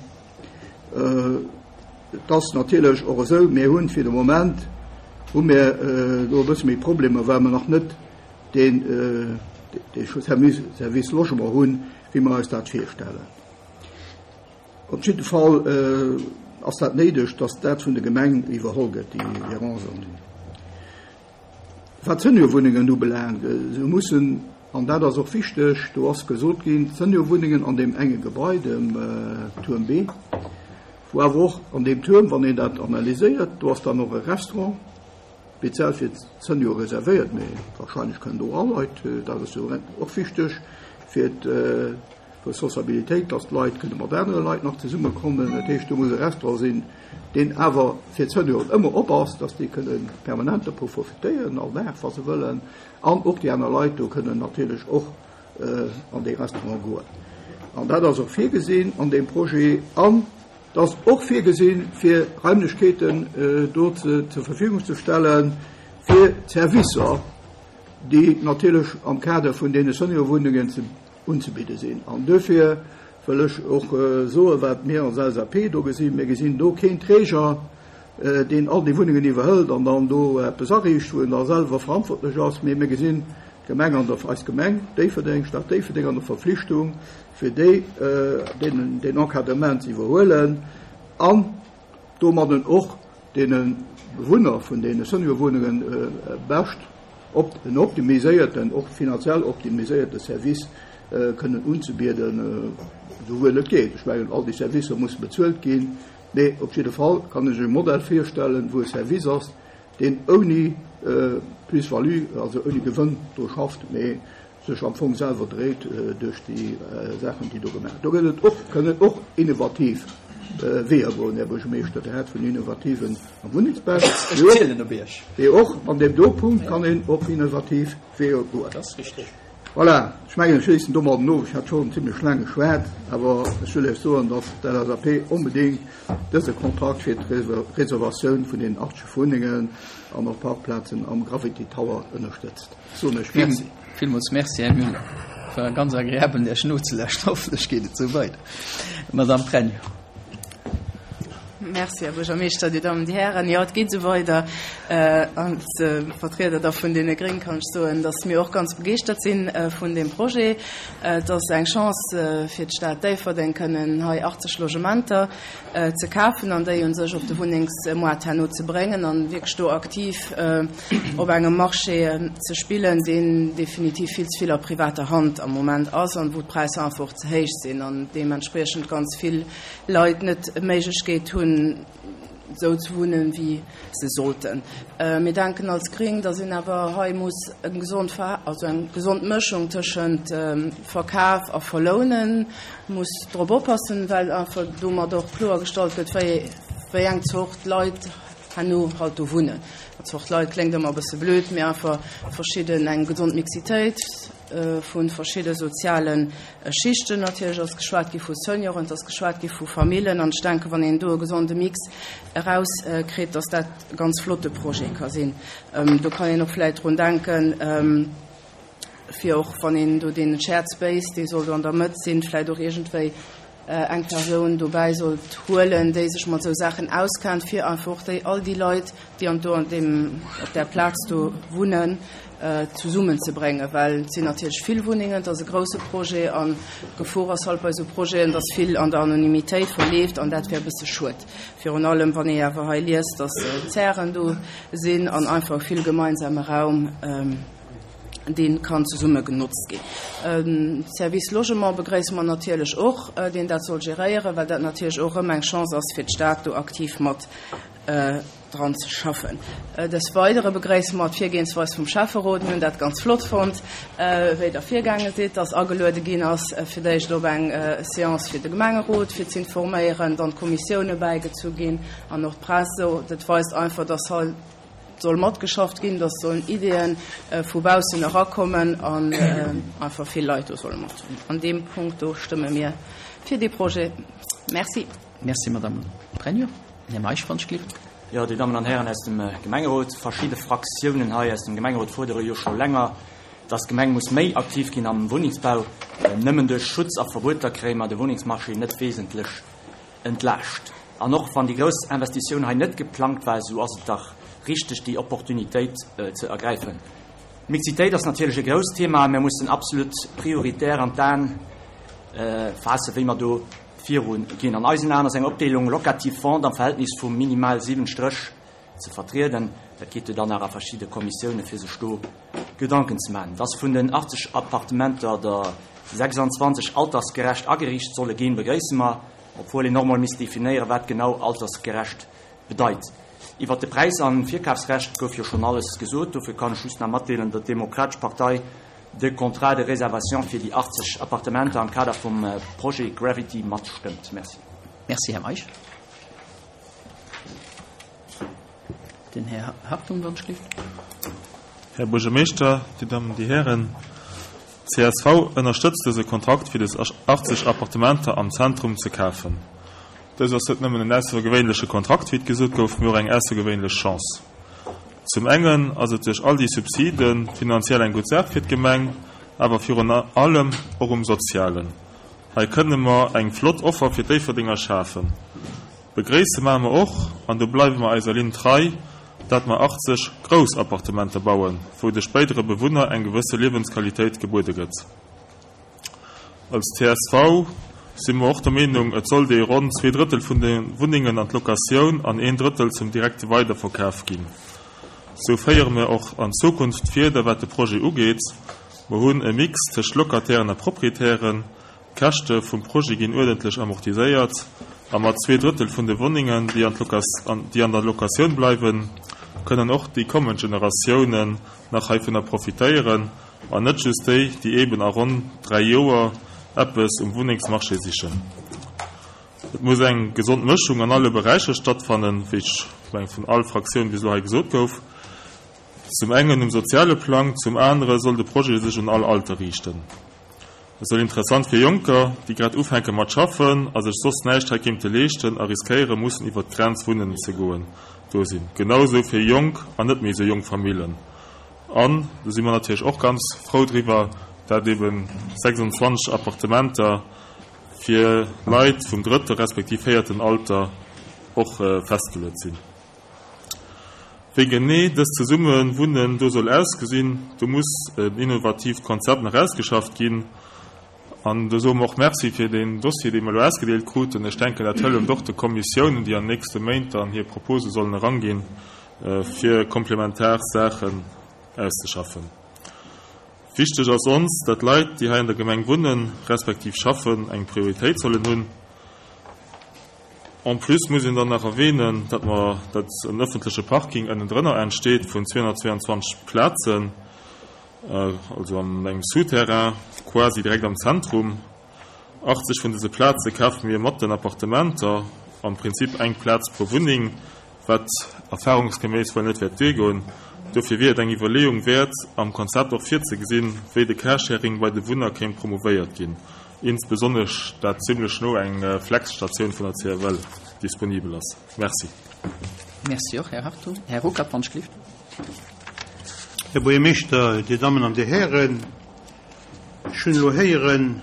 Et ass natierlech och esou, mir hunn fir de Moment hu mir do e bësse méi Problemer, well mer nach net deen dee Service Logement hunn, wéi mer eis dat virstellen. Op jidde Fall ass dat néideg, dass dat vun der Gemeng iwwerholl gëtt, déi Gérance. Wat d'Seniorwunnengen ubelaangt, esou mussen, an dat ass och wichteg, do ass gesot ginn, d'Seniorwunnengen an deem enge Gebai, dem Tuerm B, wou awer och an deem Tuerm, wann een dat analyséiert, do ass dann och e Restaurant. Speziell fir d'Seniore reservéiert, mee wahrscheinlech kënnen do all Leit, dat ass jo och wichteg fir d'Responsabilitéit, dass d'Leit kënne mat anere Leit nach zesummekommen. Dat heescht, do muss e Restaurant sinn, deen awer fir d'Senioren ëmmer op ass, dass déi kënne permanent dovu profitéieren, all Dag, wa se wëllen. An och déi aner Leit do kënnen natierlech och an dee Restaurant goen. An dat ass och virgesinn an deem Projet. An Et ass och virgesinn, fir Raimlechkeeten do zur Verfügung ze stellen, fir d'Servicer, déi natierlech am Kader vun deene Seniorwunnengen unzebidde sinn. An duerfir wëll ech och soen, wat mir als LSAP do gesinn, Mir gesinn do keen Träger, deen all déi Wunnengen iwwerhëlt an dann do eppes ariicht, wou en da selwer verantwortlech ass, mee mir gesinn d'Gemeng an der, eis Gemeng Déifferdeng, Stad Déifferdeng an der Verpflichtung, fir déi deen Encadrement ze iwwerhuelen an domadden och deene Bewunner vun deene Seniorwunnungen bescht en optimiséierten, och finanziell optimiséierte Service kënnen unzebieden, esouwuel et geet. Ech mengen, all déi Servicer musse bezuelt ginn, mee op jidde Fall kann ech e Modell virstellen, wou e Service ass, deen ouni Plus-value, also ouni Gewënn do schafft, mee sech am Fong selwer dréit duerch déi Saachen, déi do gemaach. Do gëtt et och, kënnen och innovativ Weeër goen, Här Buergermeeschter. Der hat vun innovativen am Wunnengsbau. Ech zielen op Iech. Mee och an deem do Punkt kann een op innovativ Weeër goen. Dat ass richtig. Voilà, ech mengen, ech schléissen domadden of. Ech hat schonn zimlech laang geschwat, awer ech wëll Iech soen, datt d'LSAP onbedéngt dëse Kontrakt fir d'Reservatioun vun deenen 80 Wunnengen an och Parkplazen am Gravity Tower ënnerstëtzt. Soen ech Merci. Villmools Merci, Här Müller. War ganz agreabel, Iech nozelauschten. Hoffentlech geet et esou weider. Madame Pregno. Merci, Här Buergermeeschter, Dir Dammen, Dir Hären. Jo, et geet esou weider. Als Vertrieder da vun deene Gréng kann ech soen, dass mir och ganz begeeschtert si vun deem Projet. Et ass eng Chance fir d'Stad Déifferdeng, kënnen hei 80 Logementer ze kafen an déi u sech op de Wunnengsmoart herno ze bréngen an wierklech do aktiv op engem Marché ze spillen, deen definitiv vill ze vill a privater Hand am Moment ass an wou d'Präisser einfach och ze héich sinn an deementspriechend ganz vill Leit net d'Méiglechkeet hunn, esou ze wunnen, wéi se sollten. Mir denken als Gréng, dass een awer hei muss eng gesond, also eng gesond Mëschung tëschent Verkaf a Verlounen muss drop oppassen, well einfach domat och kloergestallt gëtt, wéi, wéi eng Zort Leit herno halt do wunnen. Zort Leit kléngt ëmmer e bësse blöd, mee einfach verschidden, eng gesond Mixitéit vu verschidde soziale Schichten. Natierlech ass geschwat gi vu Senioren, et ass geschwat gi vu Famillen. An ech denken, wann een do e gesonde Mix erauskritt, dass dat e ganz flotte Projet ka sinn. Do kann een och vläicht drun denken, fir och wann een do dee Shared Space, dee soll do an der Mëtt sinn, vläicht och iergendwéi eng Persoun dobäi sollt huelen, déi sech mat esou Saachen auskennt, fir einfach och déi, all déi Leit, déi an do an deem, op där Plaz do wunnen, zesummen ze bréngen, well et sinn natierlech vill Wunnengen, et ass e grouse Projet an d'Gefor ass halt bei esou Projeten, dass vill an der Anonymitéit verleeft an dat wär e bësse schued, virun allem wann ee awer hei liest, dass Zären do sinn an einfach vill gemeinsame Raum. dee kann zesumme genotzt ginn. Service Logement begréisse mer natierlech och, deen dat soll geréieren, well dat natierlech och erëm eng Chance ass, fir d'Stad do aktiv mat dran ze schaffen. Des Weidere begréisse mer d'Virgehensweis vum Schäfferot. Mir hunn dat ganz flott fonnt, wéi Der virgaange sidd, dass ageluede ginn ass, fir d'éischt op eng Séance fir de Gemengerot, fir z'informéieren, dann d'Kommissioune bäigezu ginn an och d'Press. Dat weist einfach, dass hei soll matgeschafft ginn, dass sollen Ideeën vu baussen erakommen an einfach vill Leit do solle mat. An deem Punkt do stëmme mir fir dee Projet. Merci. Merci, Madame Pregno. Här Meisch, wann ech gelift. Jo, Dir Dammen an Hären aus dem Gemengerot, verschidde Fraktiounen hei aus dem Gemengerot fuerdere jo scho länger, dass d'Gemeng muss méi aktiv ginn am Wunnengsbau. Nëmmen duerch Schutz a Verbueter kréie mer de Wunnengsmarché net wesentlech entlaascht. An och wann déi grouss Investitioun hei net geplangt war, esou ass et dach richteg, déi Opportunitéit ze ergräifen. D'Mixitéit ass natierlech e grousst Thema. Mir mussen absolut prioritär an d'Aen faassen, wéi mer do viru ginn. An eisen Aen ass eng Opdeelung locative-vente am Verhältnis vu minimal 7 Stréch ze vertrieden. Dat geet jo dann nach a verschidde Kommissioune fir sech do Gedanken ze maachen. Dass vun den 80 Appartementer der 26 altersgerecht ageriicht solle ginn, begréisse mer, obwuel een och mol misst definéieren, wat genau altersgerecht bedeit. Iwwert de Präis an d'Virkafsrecht gouf jo schonn alles gesot. Dofir kann ech just nach matdeelen, datt d'Demokratesch Partei de Contrat de réservation fir déi 80 Appartementer am Kader vum Projet Gravity matstëmmt. Merci. Merci, Här Meisch. Den Här Hartung, wann ech gleef. Här Buergermeeschter, Dir Dammen, Dir Hären, csv ënnerstëtzt dëse Kontrakt fir des 80 Appartementer am Zentrum ze kafen. Dëst ass net nëmmen en aussergewéinleche Kontrakt, wéi et gesot gouf, mee och eng aussergewéinlech Chance. Zum engen ass et duerch all déi Subside finanziell eng gutt Saach fir d'Gemeng, awer virun allem och um Sozialen. Hei kënne mer eng flott Offer fir d'Déifferdenger schafen. Begréisse maache mer och, an do bleiwe mer eiser Linn trei, dat mer 80 grouss Appartementer bauen, wou de spéidere Bewunner eng gewësse Liewensqualitéit gebuede gëtt. Als csv si mer och der Meenung, et sollt ee ronn zweedrëttel vun de Wunnengen an d'Locatioun an een Drëttel zum direkte Weiderverkaf ginn. Sou féiere mer och an Zukunft d'Fieder wat de Projet ugeet. Mer hunn e Mix tëscht Locatairen a Proprietären, D'Käschte vum Projet ginn uerdentlech amortiséiert a mat zweedrëttel vun de Wunnengen, déi an der Locatioun bleiwen, kënnen och déi kommend Generatiounen nach heivunner profitéieren an net just déi, déi eeben a ronn 3 Joer eppes um Wunnengsmarché sichen. Et muss eng gesond Mëschung an alle Beräicher stattfannen, wéi ech meng vun all Fraktioun bis elo hei gesot gouf. Zum engen um soziale Plang, zum anere soll de Projet sech un all Alter riichten. Et soll interessant fir Jonker, déi grad ufänke mat schaffen a sech soss näischt hei kéinte leeschten a riskéiere mussen iwwert d'Grenz wunnen ze goen, do sinn. Genau esou fir jonk an net méi esou jonk Famillen. An do si mer natierlech och ganz frou driwwer, dat eben 26 Appartementer fir Leit vum drëtte respektiv véierten Alter och festgeluet sinn. Wéi genee dëst Zesummewunnen do soll ausgesinn, do muss en innovatiivt Konzept nach ausgeschafft ginn. An do soe mer och Merci fir deen Dossier, dee mer elo ausgedeelt kruten. Ech denken, dat hëlleft och de Kommissiounen, déi an den nächste Méint dann hir Propose sollen eranginn, fir komplementar Saachen auszeschaffen. Wichteg ass ons, dat Leit, déi hei an der Gemeng wunnen, respektiv schaffen, eng Prioritéit sollen hunn. En plus muss een dann nach erwähnen, datt mer, datt en öffentleche Parking ënnendrënner entsteet vun 222 Plazen, also an engem Souterrain, quasi direkt am Zentrum. 80 vun dëse Plaze kafe mir mat den Appartementer, am Prinzip eng Plaz pro Wunneng, wat erfahrungsgeméiss wuel net wäert duergoen. Dofir wier et eng Iwwerleeung wäert, am Konzept och virzegesinn, wéi de Carsharing bei de Wunner kéint promouvéiert ginn. Insbesonnesch dat zimlech no eng Flex-Statioun vun der CFL disponibel ass. Merci. Merci och, Här Hartung. Här Ruckert, wann ech gelift. Här Buergermeeschter, Dir Dammen an Dir Hären, ech hunn elo héieren,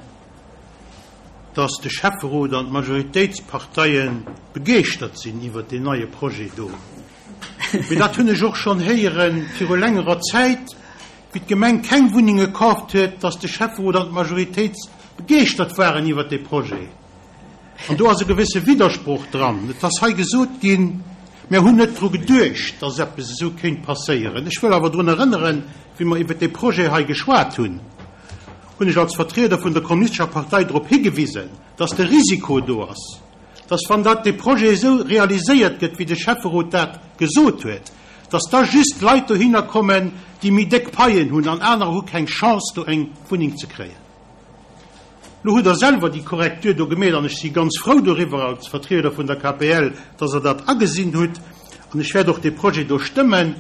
dass de Schäfferot an d'Majoritéitsparteie begeeschtert sinn iwwert deen neie Projet do. Mee dat hunn ech och schonn héiere viru längerer Zäit. Wéi d'Gemeng keng Wunnenge kaaft huet, datt de Schäfferot an d'Majoritéit begeeschtert waren iwwert dee Projet. An do ass e gewësse Widdersproch dran. Et ass hei gesot ginn, Mir hunn net dru geduecht, datt eppes esou kéint passéieren. Ech wëll awer drun erënneren, wéi mer iwwert dee Projet hei geschwat hunn, hunn ech als Vertrieder vun der Kommunistescher Partei drop higewisen, datt de Risiko do ass, datt wann dat dee Projet esou realiséiert gëtt, wéi de Schäfferot dat gesot huet, dass da just Leit dohinner kommen, déi méi déck Paien hunn an anerer hu keng Chance do eng Wunneng ze kréien. Lo hutt Der selwer déi Korrektur do gemeet an ech si ganz frou doriwwer als Vertrieder vun der KPL, dass Der dat agesinn hutt an ech wäert och dee Projet do stëmmen,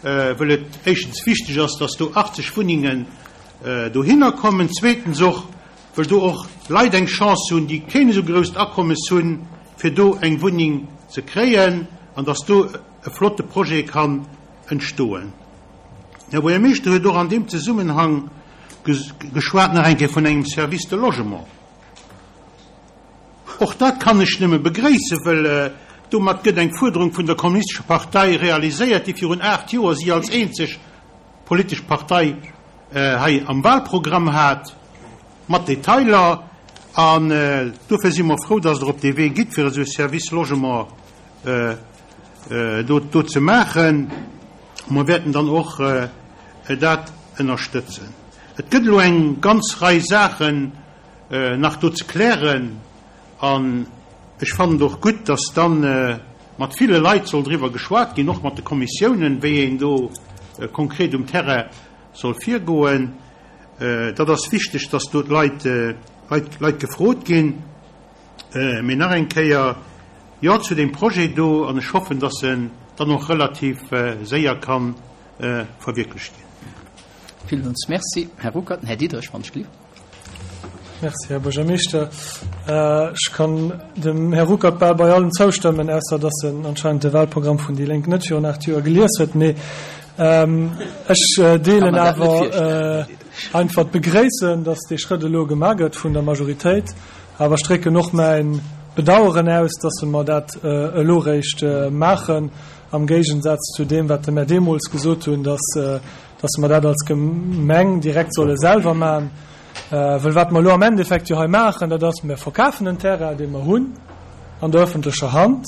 wëll et éischtens wichteg ass, dass do 80 Wunnengen dohinner kommen, zweetens och, wëll do och Leit eng Chance hunn, déi keen esou grousst Akommes hunn, fir do eng Wunneng ze kréien an dass do e flotte Projet kann entstoen. Den Här Buergermeeschter huet och an deem Zesummenhang geschwat nach eng Kéier vun engem Service de logement. Och dat kann ech nëmme begréissen, wëll domat gëtt eng Fuerderung vun der Kommunistescher Partei realiséiert, déi virun 8 Joer si als eenzeg politesch Partei hei am Wahlprogramm hat, mat Detailer. An dofir si mer frou, dass Der op dee Wee gitt, fir esou e Service logement do ze maachen. Mer wäerten dann och dat ënnerstëtzen. Et gëtt elo eng ganz Rei Saachen nach do ze klären an ech fannen et och gutt, dass dann. Mat ville Leit soll driwwer geschwat ginn, och mat de Kommissiounen, wéi een do konkret um Terrain soll virgoen. Dat ass wichteg, dass do d'Leit Leit gefrot ginn. Mee nach eng Kéier, Jo zu deem Projet do, an ech hoffen, dass en dann och relativ séier ka verwierklecht ginn. Villmools Merci, Här Ruckert. Här Diderich, wann ech gelift. Merci, Här Buergermeeschter. Ech kann dem Här Ruckert bal bei allem zoustëmmen, ausser dass en anscheinend de Wahlprogramm vun déi Lénk net virun 8 Joer gelies huet. Mee ech deelen awer einfach d'Begréissen, dass dee Schrëtt elo gemaach gëtt vun der Majoritéit. Awer ech drécken och mäi Bedaueren aus, dass mer dat elo réischt maachen, am Géigensaz zu deem, wat mer deemools gesot hunn, dass dass mer dat als Gemeng direkt solle selwer maachen. Well wat mer elo am Endeffekt jo hei maachen, dat ass, mer verkafen en Terrain, dee mer hunn an der öffentlecher Hand.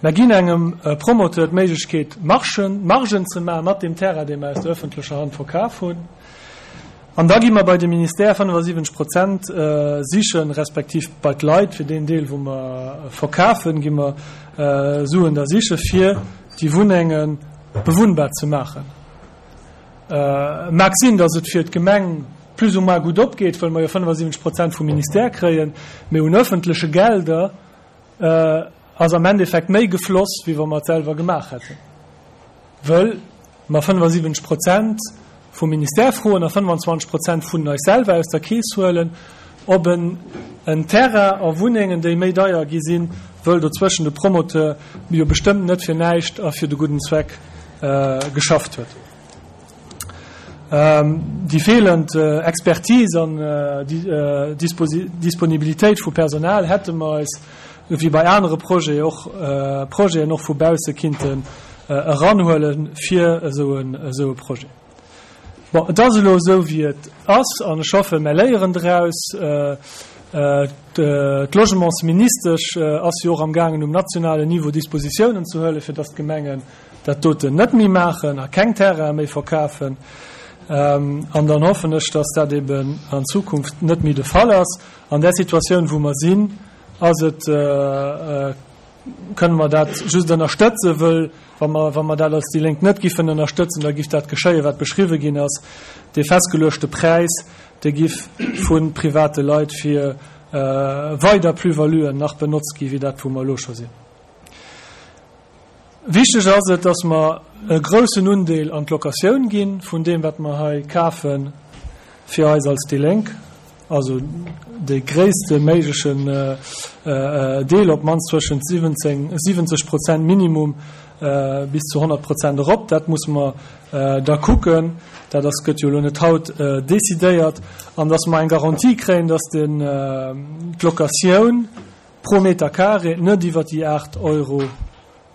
Mer ginn engem Promoteur d'Méiglechkeet, Margen, Margen ze maache mat deem Terrain, dee mer aus der öffentlecher Hand verkaf hunn. An da gi mer bei de Ministère 75 Prozent sichen, respektiv bei d'Leit, fir deen Deel, wou mer verkafen, gi mer Suen da siche fir déi Wunnenge bewunnbar ze maachen. Mag sinn, datt et fir d'Gemeng plus ou moins gutt opgeet, well mer jo 75 Prozent vum Ministère kréien, mee un öffentleche Gelder ass am Endeffekt méi gefloss, wéi wa mer et selwer gemaach hätten, wëll mer 75 Prozent vum Ministère froen a 25 Prozent vun eis selwer aus der Keess huelen, op en en Terrain a Wunnengen, déi méi deier gi sinn, wëll dozwëschen de Promoteur jo bestëmmt net fir näischt a fir de gudden Zweck geschafft huet. Déi feelend Expertise an Disponibilitéit vu Personal hätte mer eis, wéi bei anere Projeten och, Projeten och vu bausse kinnten eranhuele fir esou e Projet. Bon, et ass elo esou, wéi et ass, an ech hoffen, mer léieren draus. D'Logementsministesch ass jo och amgaangen, um nationalen Niveau Dispositiounen ze huelen, fir datt d'Gemengen dat doten net méi maachen a keng Terraine méi verkafen. An dann hoffen ech, dass dat eben an Zukunft net méi de Fall ass. An där Situatioun, wou mer sinn, ass et, kënne mer dat just ënnerstëtzen, wëll wa mer, wa mer dat als déi Lénk net giffen ënnerstëtzen, da giff dat geschéien, wat beschriwwen ginn ass, dee festgeluechte Präis, dee giff vu private Leit fir weider Plus-valuen nach benotzt gi wéi dat, wou mer elo scho sinn. Wichteg ass et, dass mer e groussen Undeel an d'Locatioun gi vun deem, wat mer hei kafen, fir eis als déi Lénk, also dee gréisste méiglechen Deel, op d'mannst zwëschent 17, 70 Prozent Minimum bis zu 100 Prozent erop. Dat musse mer da kucken. Dat ass, gëtt jo elo net haut decidéiert. An dass mer eng Garantie kréien, dass den, d'Locatioun, pro Meter carré net iwwer déi 8 Euro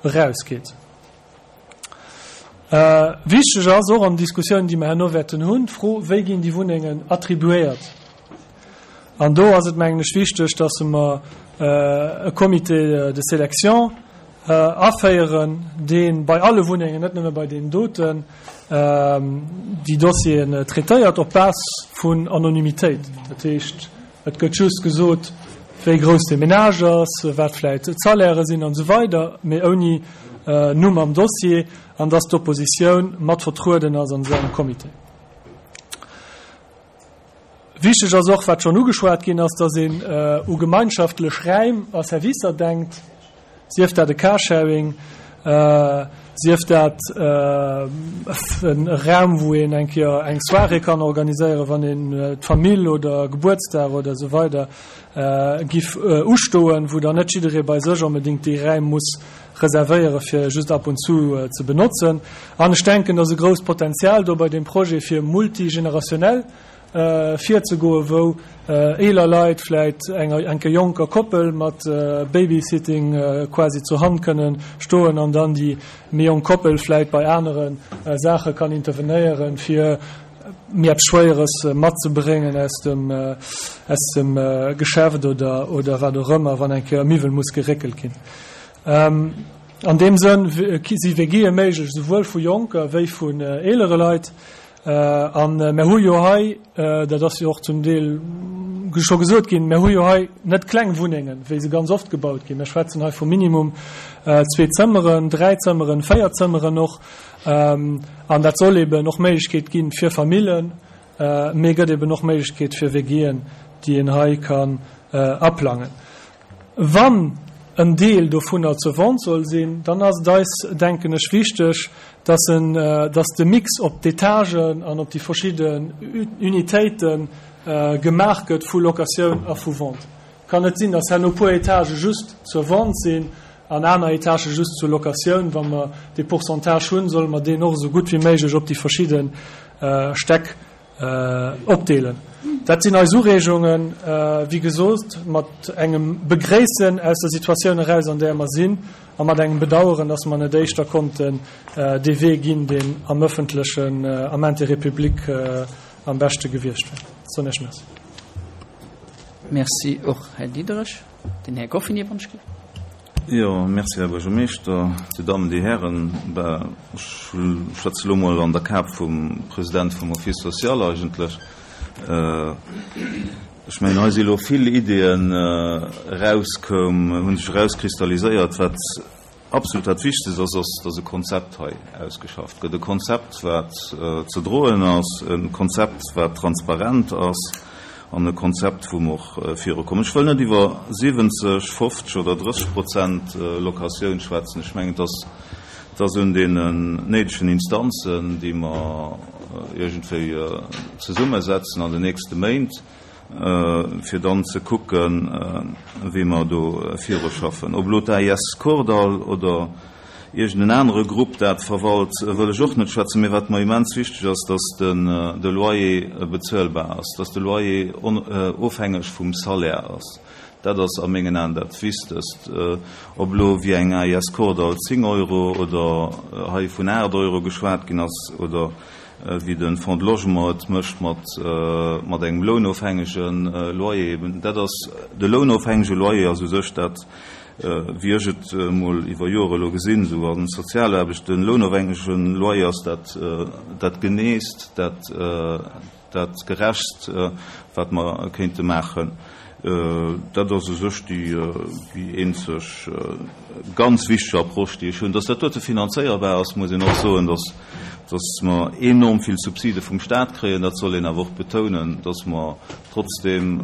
erausgeet. Wichteg ass och an den Diskussiounen, déi mer herno wäerten hunn, d'Fro, Wéi ginn déi Wunnengen attribuéiert? An do ass et, mengen ech, wichteg, dass mer e Comité de sélection aféieren, dee bei alle Wunnengen, net nëmme bei deenen doten, déi Dossieren traitéiert op Base vun Anonymitéit. Dat heescht, Et gëtt just gesot, wéi grouss de Menage ass, wat vläit d'Salairë sinn an esou weider, mee ouni Numm am Dossier an dass d'Oppositioun mat vertrueden ass an esou engem Comité. Wichteg ass och, wat schonn ugeschwat ginn ass, dass een u gemeinschaftlech Räim a Servicer denkt. Sief dat e Carsharing, sief dat e Raum, wou een eng Kéier eng Soirée kann organiséieren, wann een d'Famill oder Gebuertsdag oder esou weider giff ustoen, wou dann net jidderee bei sech onbedéngt déi Räim muss reservéiere fir just ab und zu ze benotzen. An ech denken, dass e grousst Potenzial do bei deem Projet fir multigenerationell virzegoen, wou eeler Leit vläit enger enker jonker Koppel mat Babysitting quasi zur Hand kënnen stoen an dann déi méi jonk Koppel vläit bei anere Saache kann intervenéieren, fir méi eppes Schwéieres matzebréngen aus dem aus dem Geschäft oder oder wat och ëmmer, wann eng Kéier e Miwwel muss geréckelt ginn. An deem Sënn si WGe méiglech, esouwuel vu jonker wéi vun eelere Leit. A mer hu jo hei, dat ass jo och zum Deel scho gesot ginn, mer hu jo hei net kleng Wunnengen, wéi se ganz oft gebaut ginn. Mer schwätzen hei vu minimum zwee Zëmmeren, dräi Zëmmeren, véier Zëmmeren och. An dat soll eben och Méiglechkeet gi fir Famillen, mee gëtt eben och Méiglechkeet fir WGen, déi een hei kann aplangen. Wann en Deel dovunner zur Vente soll sinn, dann ass et eis, denken ech, wichteg, dass en, dass de Mix op d'Etagen an op déi verschidden Unitéite gemaach gëtt vu Locatioun a vu Vente. Et kann net sinn, dass herno puer Etagë just zur Vente sinn an aner Etagë just zur Locatioun. Wa mer dee Pourcentage hunn, solle mer deen och esou gutt wéi méiglech op déi verschidde Stäck Opdeelen. Dat sinn eis Ureegungen, wéi gesot, mat engem Begréissen aus der Situatioun eraus, an där mer sinn, a mat engem Bedauern, dass mer net éischter konnten dee Wee ginn, deen am öffentlechen, am Intérêt public am beschte gewiescht wär. Soen Iech Merci. Merci och, Här Diderich. Den Här Goffinet, wann ech. Jo, merci, Här Buergermeeschter, Dir Dammen, Dir Hären. Ben, ech schwätze elo mol an der Kap vum President vum Office social eigentlech. Ech mengen, hei si elo vill Ideeën erauskoum, hu sech erauskristalliséiert. Wat absolut dat Wichtegst ass, ass, dass e Konzept hei ausgeschafft gëtt. E Konzept, wat ze droen ass, e Konzept, wat transparent ass an e Konzept, wou mer och virukommen. Ech wëll net iwwer 70, 50 oder 30 Prozent Locatioun schwätzen. Ech mengen, dass dass un deenen néidegen Instanzen, déi mer iergendwéi zesummesetzen an den nächste Méint, fir dann ze kucken, wéi mer do viruschaffen. Ob elo d'AIS Kordall oder iergend en anere Grupp dat verwalt, wëll ech och net schwätzen. Mee wat mer immens wichteg ass, dass de Loyer bezuelbar ass, dass de Loyer ofhängeg vum Salaire ass. Dat ass a mengen Aen dat Wichtegst. Ob elo wéi eng AIS Kordall 10 Euro oder hei vun 8 Euro geschwat ginn ass oder wéi de Fonds de Logement et mécht mat mat engem lounofhängege Loyer eben. Dat ass, de lounofhängege Loyer ass u sech dat, wéi ech et emol iwwer Jore elo gesinn, esou a Sozialaarbecht, de lounofhängege Loyer ass dat dat Geneest, dat Dat Gerechtst, wat mer kéinte maachen. Dat ass u sech déi eenzeg ganz wichteg Approche, déi ech hunn. Dass dat dote finanzéierbar ass, muss een och soen, dass, dass mer enorm vill Subside vum Stat kréien. Dat soll een awer och betounen, dass mer trotzdeem,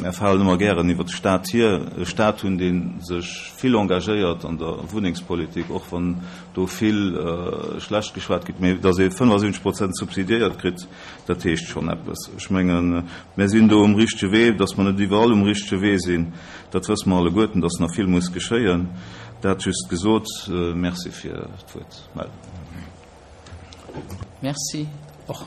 mär falen ëmmer gären iwwert de Stat hier, e Stat hunn, dee sech vill engagéiert an der Wunnengspolitik, och wann do vill schlecht geschwat gëtt, mee datt ee 75 Prozent subsidiéiert kritt, dat heescht schonn eppes. Ech mengen, mär sinn do um richtege Wee. Datt mer net iwwerall um richtege Wee sinn, dat wësse mer alleguerten, datt nach vill muss geschéien. Dat just gesot. Merci fir d'Wuert. Merci och.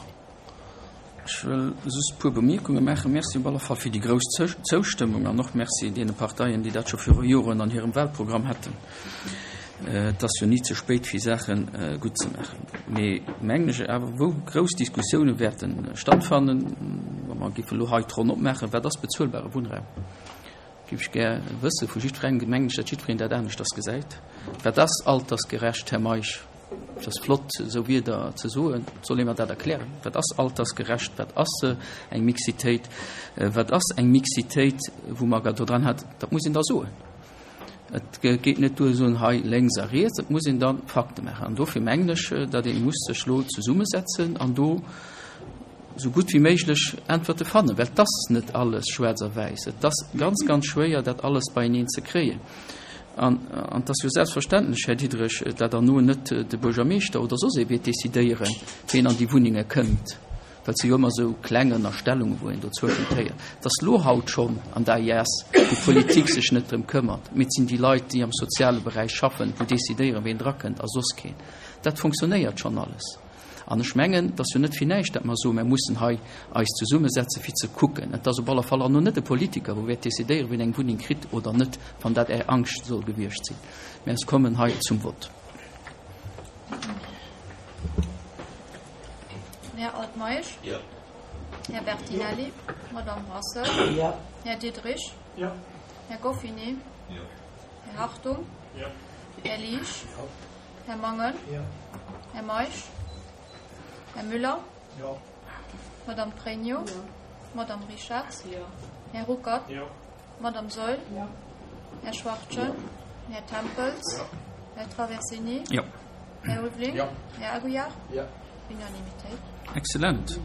Ech wëll just e puer Bemierkunge maachen. Merci op alle Fall fir déi grouss Zoustëmmung an och Merci deene Parteien, déi dat scho viru Joren an hirem Wahlprogramm hatten. Et ass jo ni ze spéit, fir Saache gutt ze maachen. Mee mengen ech awer, wou grouss Diskussioune wäerte stattfannen, wa mer géife elo hei d'Ronn opmaachen, Wat ass bezuelbare Wunnraum? Géif ech gär wësse vu jiddwerengem. Mengen ech, datt jiddwereen dat aneschters gesäit. Wat ass altersgerecht, Här Meisch? Et ass flott, esou Wierder ze soen. Et soll ee mer dat erklären. Wat ass altersgerecht? Wat ass eng Mixitéit? Wat ass eng Mixitéit, wou mer do dran hat? Dat muss een da soen. Et geet net duer, soen, hei lénks a riets. Et muss een da Fakte maachen. An dofir mengen ech, datt ee muss sech elo zesummesetzen an do esou gutt wéi méiglech Äntwerte fannen, well et ass net alles schwaarz a wäiss. Et ass ganz, ganz schwéier, dat alles beieneen ze kréien. An et ass jo selbstverständlech, Här Diderich, dat herno net de Buergermeeschter oder soss ee wäert decidéieren, ween an déi Wunnenge kënnt, well et si jo ëmmer esou kleng Ënnerstellungen, wou een dozwëschent héiert. Et ass elo haut schonn an der AIS, wou d'Politik sech net drëm këmmert, mee et sinn déi Leit, déi am soziale Beräich schaffen, wou decidéieren, ween drakënnt a soss keen. Dat funktionéiert schonn alles. An ech mengen, et ass jo net fir näischt, dat mer soen, mer mussen hei eis zesummesetzen, fir ze kucken. Et ass op alle Fall herno net e Politiker, wou wäert decidéieren, wien eng Wunneng kritt oder net, wann dat Är Angscht soll gewiescht sinn. Mä ech kommen hei zum Vott. Den Här Altmeisch. Jo. Här Bertinelli. Madame Brasseur. Jo. Här Diderich. Jo. Här Goffinet. Jo. Här Hartung. Jo. Här Liesch. Jo. Här Mangen. Jo. Här Meisch. Här Müller. Jo. Madame Pregno? Jo. Madame Richarz? Jo. Här Ruckert? Jo. Madame Saeul? Jo. Här Schwachtgen? Jo. Här Tempels? Jo. Här Traversini? Jo. Här Ulveling? Jo. Här Aguiar? Jo. Unanimitéit. Excellent.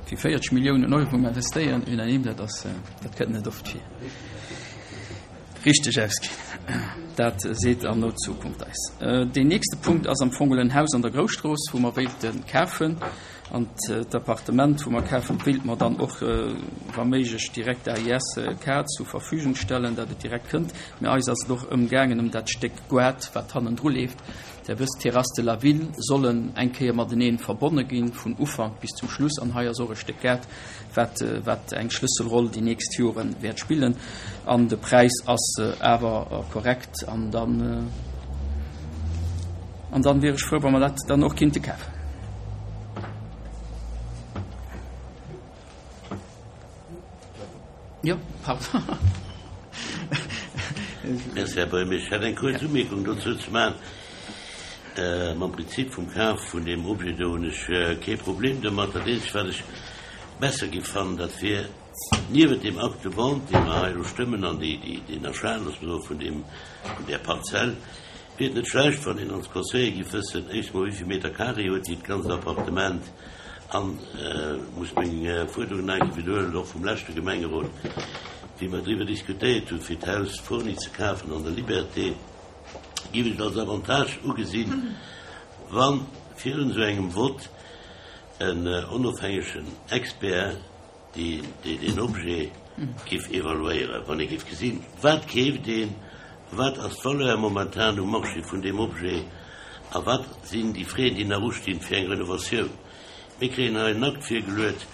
Fir 40 Milliounen Euro investéieren, unanime, dat ass, dat kënnt net oft vir. Richteg ausginn. Dat seet an no Zukunft eis. Deen nächste Punkt ass am Fong en Haus an der Grousstrooss, wou mer wéilte kafen. An d'Appartement, wou mer kafen, wéilte mer dann och wa méiglech direkt der AIS K zur Verfügung stellen, dat et direkt kënnt. Mä eis ass et och ëmgaangen ëm dat Stéck Goart, wat hannendru leeft. Der wësst, d'Terrasses de la Ville sollen eng Kéier matenee verbonne ginn, vun Ufank bis zum Schluss. An hei ass och e Stéck Gaart, wat, wat eng Schlësselroll déi nächst Jore wäert spillen. An de Präis ass awer korrekt. An dann, an dann wier ech frou, wa mer dat dann och kinnte kafen. Jo, pardon. Merci, Här Buergermeeschter. Ech hätt eng kuerz Umierkung dozou ze maachen. Mam Prinzip vum Kaf vun deem Objet do hunn ech kee Problem domat. Dat eenzegt, wat ech besser géif fannen, dat wier, niewent deem Acte de vente, dee mer hei elo stëmmen, an deen Achat, loosse mer soen, vun deem, vun där Parzell, wier et net schlecht, wann een als Conseiller géif wëssen, éischt emol, wéi vill Meter carré huet déi ganzt Appartement, An muss meng Fuerderung nach eng Kéier widderhuelen, och vum leschte Gemengerot, wéi mer driwwer diskutéiert hunn, fir d'Haus Fourny ze kafen an der Liberté, géif ech et als Avantage ugesinn, wa virun esou engem Vott en onofhängegen Expert, deen deen Objet géif evaluéieren, wann ee géif gesinn, wat keeft een, wat ass d'Valeur momentan um Marché vun deem Objet a wat sinn déi Frais, déi nach ustinn fir eng Renovatioun. Mir kréien hei en Akt virgeluet,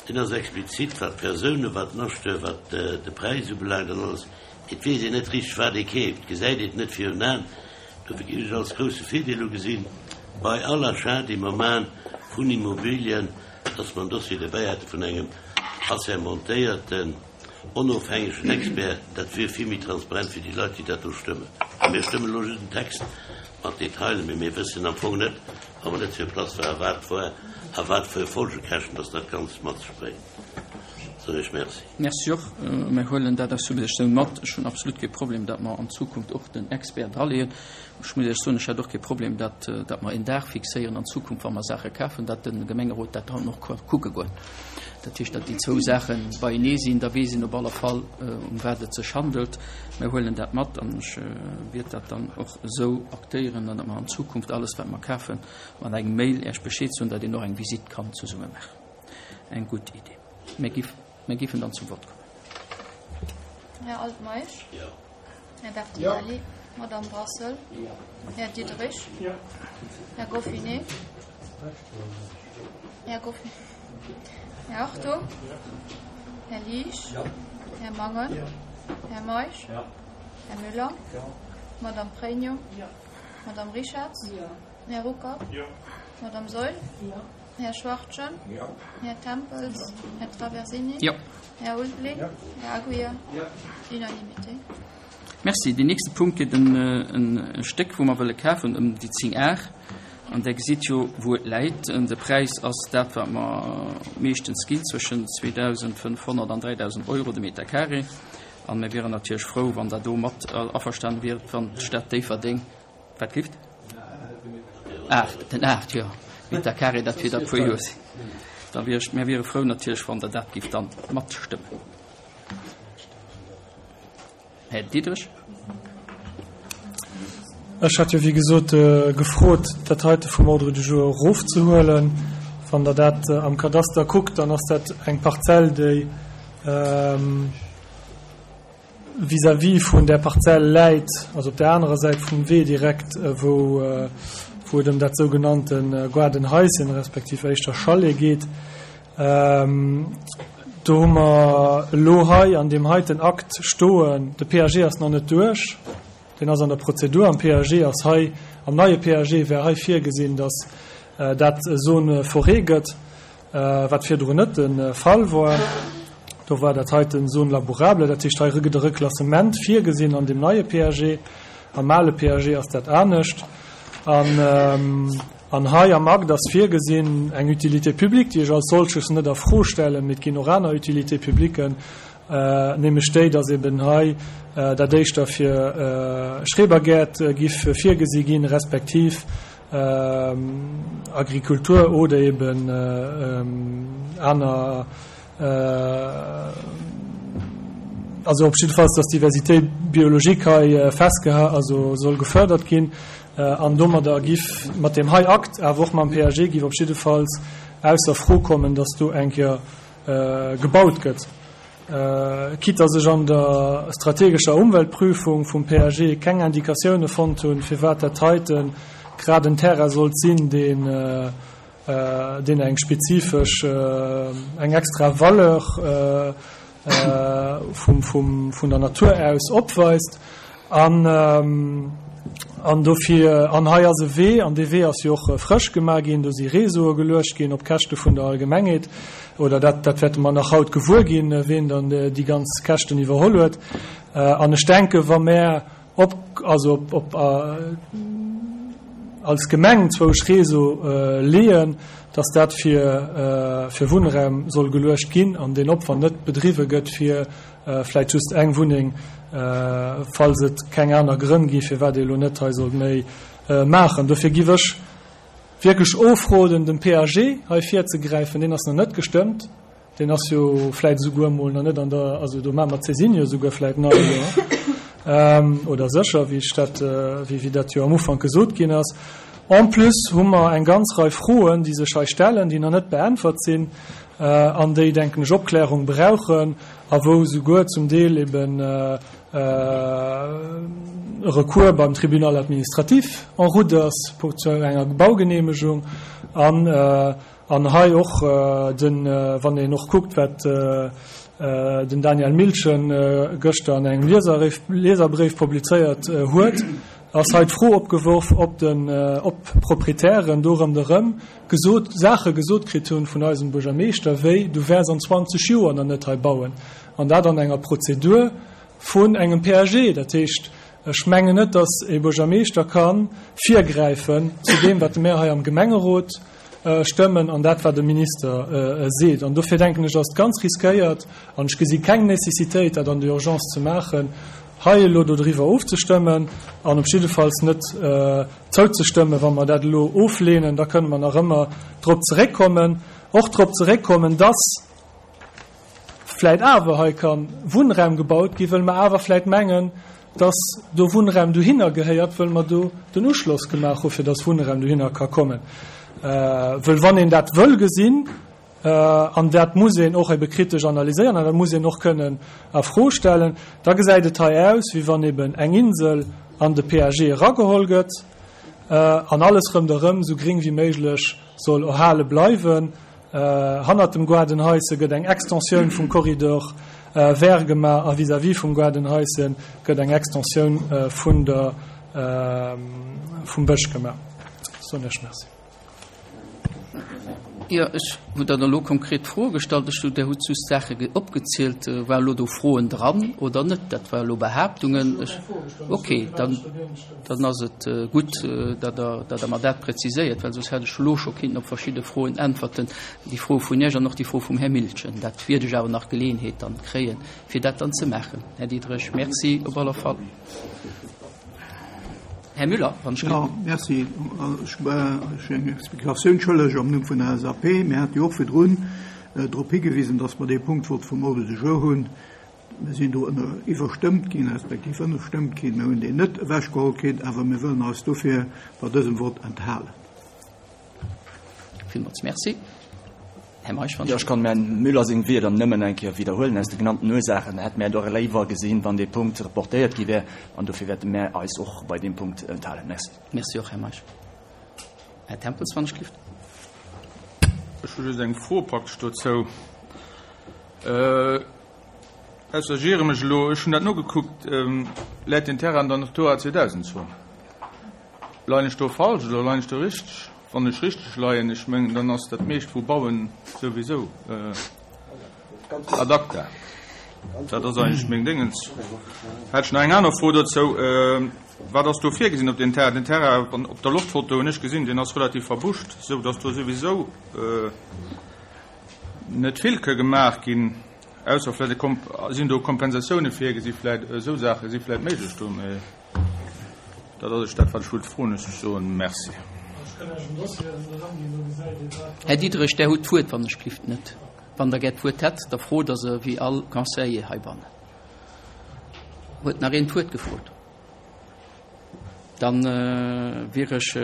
deen ass explizit, wat d'Persounen, wat den Acheteur, wat de Präis ubelaangt an alles. Et weess een net richteg, wat ee keeft, gesäit een et net virun Aen. Dofir géif ech als grousse Virdeel ugesinn, bei all Achat, dee mer maachen vun Immobilien, dass mer en Dossier derbäi hätte vun engem assermentéierten, onofhängegen Expert. Dat wier vill méi transparent fir déi Leit, déi dat do stëmmen. A mir stëmmen elo just en Text mat Detailen, mee mir wëssen am Fong net, wa mer net sur place waren, wat war a wat fir Folgekäschten dass dat Ganzt mat sech bréngt. Soen ech Merci. Merci och. Mir huelen dat als Suggestioun mat. Ech hunn absolut kee Problem, datt mer an Zukunft och den Expert draleeën. Ech muss Iech soen, ech hätt och kee Problem, datt, datt mer een Dag fixéieren an Zukunft, wa mer Saache kafen, datt de Gemengerot dat dann och ka kucke goen. Dat heescht, datt déi zwou Saache beienee sinn, da weess een op alle Fall, ëm wat et sech handelt. Mir huelen dat mat an ech wiert dat dann och esou aktéieren, datt mer an Zukunft alles, wat mer kafen, mat engem Mail Iech Bescheed soen, datt een och eng Visitt kann zesumme maachen. Eng gutt Idee. Mir giff, mir giffen dann zum Vott kommen. Här Altmeisch? Jo. Här Bertinelli? Jo. Madame Brassel? Jo. Här Diderich? Jo. Här Goffinet? Här Goffinet. Här Hartung? Här Liesch? Jo. Här Mangen? Jo. Här Meisch? Jo. Här Müller? Jo. Madame Pregno? Jo. Madame Richarz? Jo. Här Ruckert? Jo. Madame Saeul? Jo. Här Schwachtgen? Jo. Här Tempels? Jo. Här Traversini? Jo. Här Ulveling? Jo. Här Aguiar? Jo. Unanimité. Merci. Deen nächste Punkt geet ëm e Stéck, wou mer wëlle kafen, ëm déi 10 Ar. An Der gesitt jo, wou et läit. De Präis ass dat, wat mer meeschtens ginn, zwëschen 2.500 an 3.000 Euro de Meter carré. A mir wieren natierlech frou, wann Der do mat averstane wiert, wann d'Stad Déifferdeng Wat gift? 8, den 8, jo. Meter carré, dat wier da puer Joer sinn. Da wier ech, mir wiere frou natierlech, wann Der dat gift dann matstëmmen. Här Diderich. Ech hat jo, wéi gesot, gefrot, dat heite vum Ordre du jour erofzehuelen. Wann Der dat am Kadaster kuckt, dann ass dat eng Parzell, déi, vis-à-vis vun där Parzell läit, also op där anerer Säit vum Wee direkt, wou wou et ëm dat sougenannte Gaardenhaischen, respektiv éischter Chalet geet. Do hu mer elo hei an deem heiten Akt stoen, de PAG ass nach net duerch, deen ass an der Prozedur. Am PAG ass hei, am neie PAG wär hei virgesinn, datt dat Zone forêt gëtt. Wat virdrun net de Fall war. Do war dat heiten Zone labourable, dat heescht hei gëtt e Reklassement virgesinn an deem neie PAG. Am ale PAG ass dat anescht. An. An hei am Akt ass virgesinn eng Utilité publique, déi ech als solches net a Fro stellen, mee et ginn och aner Utilités publiquen, nämlech déi, dass eben hei dat éischter fir Schrebergäert giff virgesi ginn, respektiv Agrikultur oder eben aner, also op jiddefalls, dass d'Diversité biologique hei festgeha-, also soll gefördert ginn. An domadder giff mat deem hei Akt, awer och mam PAG, giff op jiddefalls ausser Fro kommen, dass do eng Kéier gebaut gëtt. Quitte dass ech an der strategescher Umweltprüfung vum PAG keng Indikatioune fonnt hunn, firwat dat heite grad en Terrain sollt sinn, deen deen eng spezifesch, eng extra Valeur vum, vun der Natur aus opweist. An, an dofir, an hei ass e Wee, an dee Wee ass jo och frësch gemaach ginn, do si Réseaue geluecht ginn op Käschte vun der Allgemengheet, oder dat, dat wäerte mer nach haut gewuer ginn, ween dann déi ganz Käschten iwwerholl huet. An ech denken, wa mär op, also op, op als Gemeng zwousch Réseau leeën, dass dat fir, fir Wunnraum soll geluecht ginn an deen Opwand net bedriwwe gëtt fir vläit just eng Wunneng, falls et keng aner Grënn gi firwat ee elo net hei sollt méi maachen. Dofir giff ech wierklech ofroden, dem PAG hei virzegräifen. Deen ass nach net gestëmmt. Deen ass jo vläit esouguer emol nach net an der, also do maache mer d'Saisine jo esouguer vläit nach elo, oder sécher, wéi ech dat, wéi dat jo am Ufank gesot ginn ass. En plus hu mer eng ganz Rei Froen, déi sech hei stellen, déi nach net beäntwert sinn an déi, denken ech, Opklärung brauchen a wou esouguer zum Deel eben e Recours beim Tribunal administratif en route ass zu enger Baugenehmegung an An hei och den, wann een och kuckt, wat den Daniel Milchen gëschter an engem Lieserbréif publizéiert huet, ass hei d'Fro opgeworf, ob den, ob d'Proprietären do ronderëm gesot, Saache gesot kritt hunn vun eisem Buergermeeschter wéi, du wäers an 20 Joer nach net hei bauen. An dat an enger Prozedur vun engem PAG. Dat heescht, ech mengen net, datt e Buergermeeschter ka virgräifen zu deem, wat mär hei am Gemengerot stëmmen an dat wat de Minister seet. An dofir denken ech, ass et ganz riskéiert, an ech gesi keng Nécessitéit, dat an der Urgence ze maachen, hei elo dodriwwer ofzestëmmen an op jiddefalls net zouzestëmmen. Wa mer dat elo ofleenen, da kënne mer nach ëmmer drop zeréckkommen, och drop zeréckkommen, dass vläit awer hei ka Wunnraum gebaut ginn, wëll mer awer vläit mengen, dass do Wunnraum dohinner gehéiert, wëll mer do den Uschloss gemaach hu fir dass Wunnraum dohinner ka kommen. Wëll wann een dat wëll gesinn, an dat muss een och ebe kritesch analyséieren an dat muss een och kënnen a Fro stellen, da gesäit et hei aus, wéi wann eben eng Insel an de PAG erageholl gëtt an alles ronderëm esou gring wéi méiglech soll erhale bleiwen. Hannert dem Gaardenhaisse gëtt eng Extensioun vum Corridor vert gemaach a vis-à-vis vum Gaardenhaisse gëtt eng Extensioun vun der, vum Bësch gemaach. Soen Iech Merci. Jo, ech hutt Der elo konkret Froe gestallt. Ech hunn, Der hutt just Saache opgezielt. Waren elo do Froen dran oder net? Dat war elo Behaaptungen. Ech, okay, dann. Dann ass et gutt, datt Der, datt Der mer dat präziséiert, well soss hätt ech elo scho kinnten op verschidde Froen äntwerten, déi Fro vun Iech an och déi Fro vum Här Miltgen. Dat wiert ech awer nach Geleeënheet dann kréien, fir dat dann ze maachen. Här Diderich, Merci op alle Fall. Här Müller, wann ech. Jo, merci. Ech sinn eng Explikatioun schëlleg am Numm vun der LSAP. Mir hate jo och virdrun drop higewisen, datt mer dee Punkt wollte vum Ordre du jour hunn. Mir sinn do ënner iwwerstëmmt ginn, respektiv ënnerstëmmt ginn. Mir hunn deen net ewechgeholl kritt, awer mir wëllen eis dofir bei dësem Vott enthalen. Villmools Merci. Här Meisch, wann. Jo, ech kann dem Här Müller seng Wierder nëmmen eng Kéier widderhuelen. Aus de genannten Ursaachen hätte mär et och léiwer gesinn, wann dee Punkt reportéiert gi wär, an dofir wäerte mär eis och bei deem Punkt enthalen. Merci. Merci och, Här Meisch. Här Tempels, wann ech gelift. Ech hu just eng Fro praktesch dozou. Ausser ech iere mech elo, ech hunn dat nogekuckt, läit den Terrain an der Natura 2000 Zon. Leien ech do falsch oder leien ech do richteg? Wann ech richteg leien, ech mengen, dann ass dat meescht vu Bauen souwisou ad acta. Dat ass eigentlech meng Déngens. Hätt ech nach eng aner Fro dozou. Wat ass do virgesinn op deem Terrain? Den Terrain, op der Loftfoto hunn ech gesinn, deen ass relativ verbuscht, esou datt do souwisou net vill ka gemaach ginn, ausser vläicht e Komp-, sinn do Kompensatioune virgesi vläicht, esou Saache si vläicht méiglech do, mee dat ass ech dat, wat ech wollt froen. Ech soen Merci. Här Diderich, Der hutt d'Wuert, wann ech glift net. Wann Der gär d'Wuert hätt, da frot Der se wéi all Conseiller heibannen. Huet nach een d'Wuert gefrot? Dann wier ech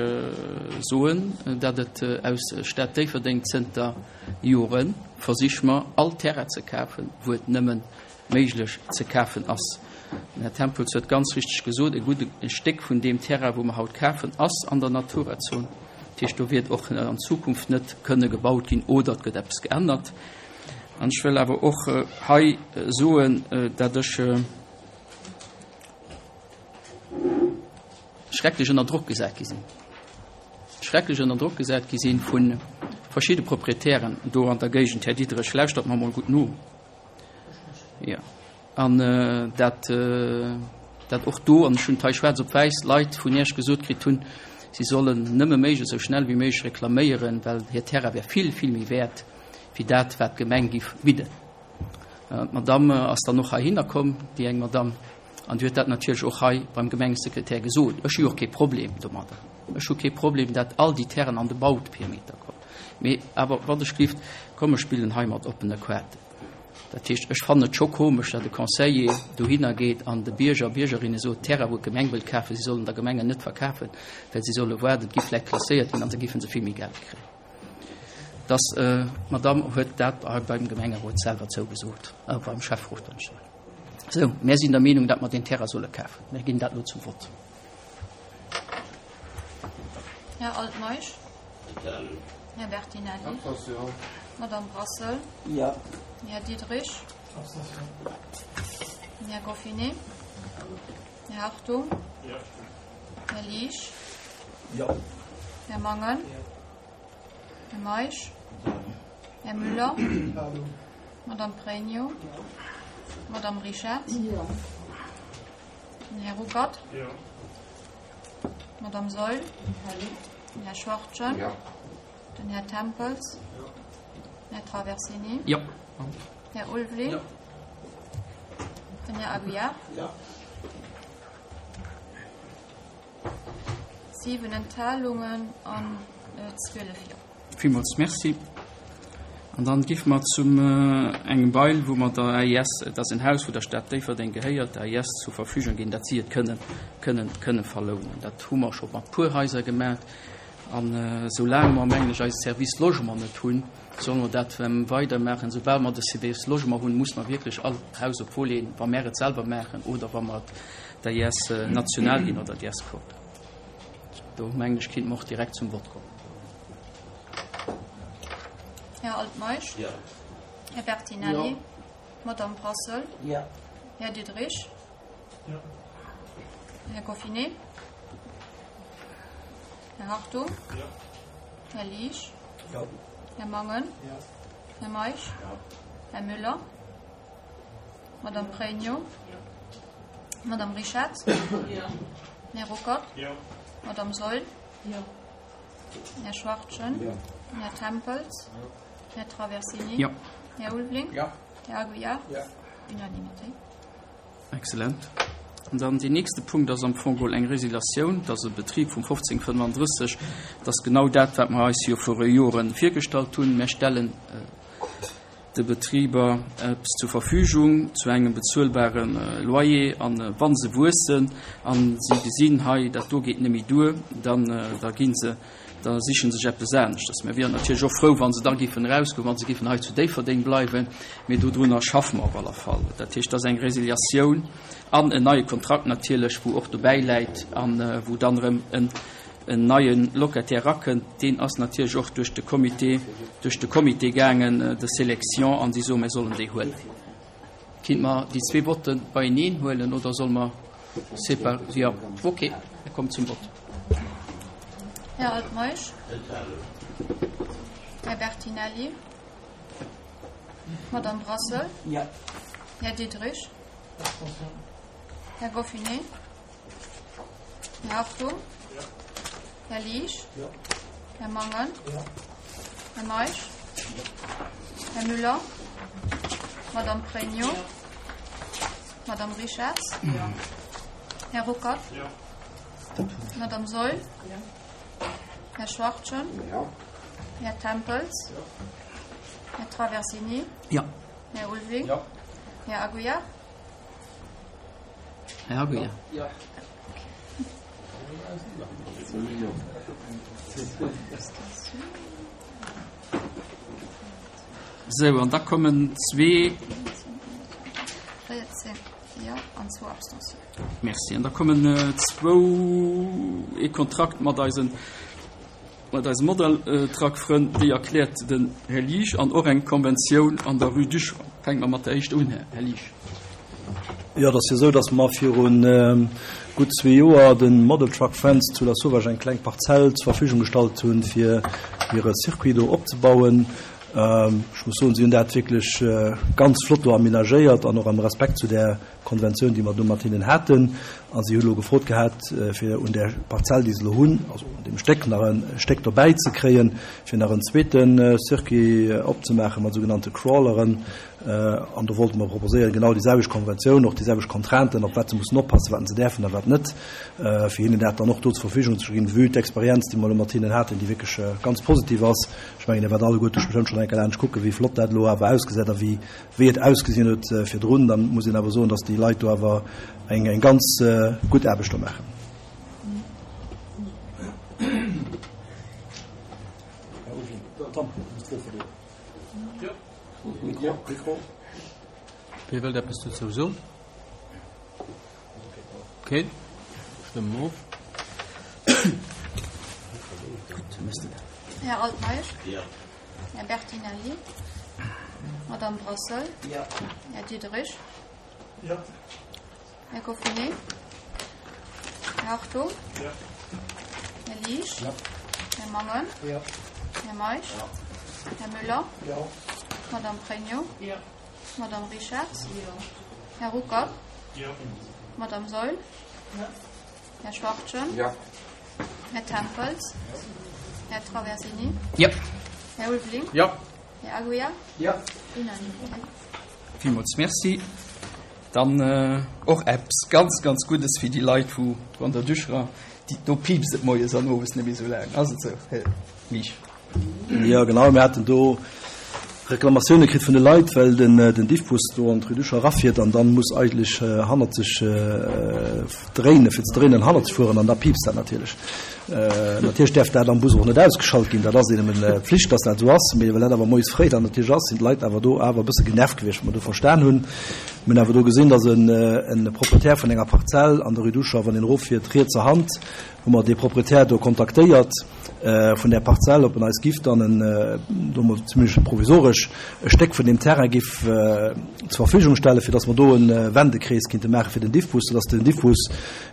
soen, datt et aus Stad Déifferdeng zënter Jore Versich mer all Terrain ze kafen, wou et nëmme méiglech ze kafen ass. Den Här Tempels huet ganz richteg gesot, e gudde Stéck vun deem Terrain, wou mer haut kafen, ass an der Naturazon. Dat heescht, do wäert och an Zukunft net kënne gebaut ginn oder et gëtt eppes geännert. An ech wëll awer och hei soen, datt ech schrecklech ënner Drock gesat gi sinn, schrecklech ënner Drock gesat gi sinn vu verschidde Proprietären do an der Géigend. Här Diderich, lauschtert mer emol gutt no. Jo. An dat, dat och do, an ech hunn et hei schwaarz op wäiss, Leit vun Iech gesot kritt hunn, si sollen nëmme méiglech esou schnell wéi méiglech reklaméieren, well hir Terrain wär vill, vill méi wäert wéi dat, wat d'Gemeng giff bidden. D'Madamm ass dann och heihinner komm, déi eng Madamm, an déi huet dat natierlech och hei beim Gemengesekretär gesot. Ech hu jo och kee Problem domadder. Ech hu kee Problem, dat all déi Terrainen an de Bauperimeter kommen. Mee awer, wann ech giff, komm, ech spillen hei mat oppene Kaarten. Dat heescht, ech fannen et scho komesch, datt e Conseiller dohinner geet an de Bierger a Biergerinne sot, Terrain, wou d'Gemeng wëllt kafen, si sollen der Gemeng en net verkafen, well si solle waarden, et gi vläicht klasséiert ginn an da géife se vill méi Geld kréien. Dass d'Madamm huet dat hei beim Gemengerot selwer zougesot, beim Schäfferot, wann ech soen. Sou, mär sinn der Meenung, datt mer deen Terrain solle kafen. Mär ginn dat elo zum Vott. Här Altmeisch. Här Bertinelli. Madame Brassel. Jo. Här Diderich. Här Goffinet. Här Hartung. Här Liesch. Jo. Här Mangen. Här Meisch. Här Müller. Madame Pregno. Madame Rischette. Den Här Ruckert. D'Madame Saeul. Den Här Schwachtgen. Den Här Tempels. Den Här Traversini. Här Ulveling. Den Här Aguiar. 7 Enthalungen an 12 Jo. Villmools Merci. An dann giffe mer zum engem Bail, wou mer der AIS, et ass en Haus, wou der Stad Déifferdeng gehéiert, der AIS zur Verfügung ginn, dat si et kënnen, kënnen, kënnen verlounen. Dat hu mer scho mat puer Haiser gemaach. An soulaang mer, mengen ech, eise Service Logement net hunn, solle mer dat weidermaachen. Soubal mer de Service Logement hunn, muss mer wierklech all Haus op Volet, wa mer et selwer maachen oder wa mer et der AIS national ginn oder der AIS-Code. Do, mengen ech, kéinte mer och direkt zum Vott kommen. Här Altmeisch. Jo. Här Bertinelli. Jo. Madame Brassel. Jo. Här Diderich. Jo. Här Goffinet. Här Hartung. Jo. Här Liesch. Jo. Här Mangen. Jo. Här Meisch. Jo. Här Müller. Madame Pregno. Jo. Madame Rischette. Jo. Här Ruckert. Jo. Madame Saeul. Jo. Här Schwachtgen. Jo. Här Tempels. Jo. Här Traversini. Jo. Här Ulveling. Jo. Här Aguiar. Jo. Unanimité. Excellent. An dann deen nächste Punkt ass am Fong geholl eng Résiliatioun. Dat ass e Betrib vum 1535. Dat ass genau dat, wat mer eis jo viru Joren virgestallt hunn. Mer stellen de Betriber eppes zur Verfügung zu engem bezuelbare Loyer. An wa se wuessen a si gesinn, hei dat do geet net méi duer, dann da gi se, da siche sech eppes aneschters. Mir wieren natierlech och frou, wa se da géifen erausgoen, wa se géifen hei zu Déifferdeng bleiwen, mee dodrunner schaffe mer op alle Fall. Dat heescht, dat ass eng Résiliatioun an en neie Kontrakt natierlech, wou och dobäi läit a wou dann erëm en en neie Locataire erakënnt, deen ass natierlech och duerch de Comité, duerch de Comité gaangen de sélection an si soen, mir sollen déi huelen. Kinnt mer déi zwee Votte beieneen huelen oder solle mer sépa-, jo, okay, mir kommen zum Vott. Här Altmeisch. Här Bertinelli. Madame Brassel. Jo. Här Diderich. Här Goffinet. Här Hartung? Här Liesch? Här Mangen? Här Meisch? Här Müller? Madame Pregno? Madame Richarz? Här Ruckert? Madame Saeul? Här Schwachtgen? Här Tempels? Här Traversini? Här Ulving? Här Aguiar? Här Aguiar? Sou, an da kommen zwee. 14 Jo an zwou Abstentiounen. Merci. An da kommen zwou, ee Kontrakt mat eisen, mat eise Model-Truck-Frënn, déi erkläert den Här Liesch, an och eng Konventioun an der Rue d'Uchon. Fänke mer mat der éischter un, Här Liesch. Jo, et ass jo esou, datt mer viru gutt zwee Joer de Model Truck Friends zu Lasauvage eng kleng Parzell zur Verfügung gestallt hunn, fir hire Circuit do opzebauen. Ech muss soen, si hunn dat wierklech ganz flott do amenagéiert an och am Respekt zu där Konventioun, déi mer do mat hinnen haten. A si hu lo gefrot gehat, fir un där Parzell, déi se elo hunn, also un deem Stéck, nach e Stéck dobäi ze kréien, fir nach en zweete Circuit opzemaache mat sougenannte Crawleren. An do wollte mer proposéieren, genau déi selwecht Konventioun, och déi selwecht Contrainten, op wat se mussen oppassen, wat se däerfen a wat net, fir hinnen dat dann och do zur Verfügung ze ginn, vue d'Experienz, déi mer elo mat hinnen haten, déi wierklech ganz positiv ass. Ech mengen, Dir waart alleguerte bestëmmt schonn eng Kéier laanscht kucken, wéi flott dat elo awer ausgesäit a wéi wéi et ausgesinn huet virdrun. Da muss een awer soen, dass déi Leit do awer eng eng ganz gutt Aarbecht do maachen. Wie wëllt eppes dozou soen? Keen? Stëmme mer of. Här Altmeisch? Här Bertinelli? Madame Brassel? Här Diderich? Här Goffinet? Här Hartung? Här Liesch? Här Mangen? Här Meisch? Här Müller? Madame Pregno? Madame Richarz? Här Ruckert? Madame Saeul? Här Schwachtgen? Här Tempels? Här Traversini? Här Ulveling? Här Aguiar? Unanimité. Villmools Merci. Dann och eppes ganz, ganz Guddes fir déi Leit, wou an der Duchera, déi, do piipst et moies an owes net méi esou laang. Ass et esou, Här Miesch? Jo, genau. Mir haten do Reklamatioune kritt vun de Leit, well den, den Diffbus do an d'Rue Ducher erafiert an dann muss eigentlech hannerzeg dréinen, fir ze dréinen, hannerzeg fueren an da piipst dat natierlech. Natierlech däerf dat am Bus och net ausgeschalt ginn, dat ass eben Pflicht, dass dat esou ass, mee well dat awer moies fréi dann natierlech ass, sinn d'Leit awer do awer e bësse genervt gewiescht, wat mer do verstan hunn. Mir hunn awer do gesinn, dass en e Proprietär vun enger Parzell an der Rue Ducher, wann een eroffiert, rietser Hand, hu mer dee Proprietär do kontaktéiert vun där Parzell, ob en eis giff dann en, do mol zumindest provisoresch, e Stéck vun deem Terrain giff zur Verfügung stellen, fir dass mer do e Wendekrees kinnte maache fir den Diffbus, soudass den Diffbus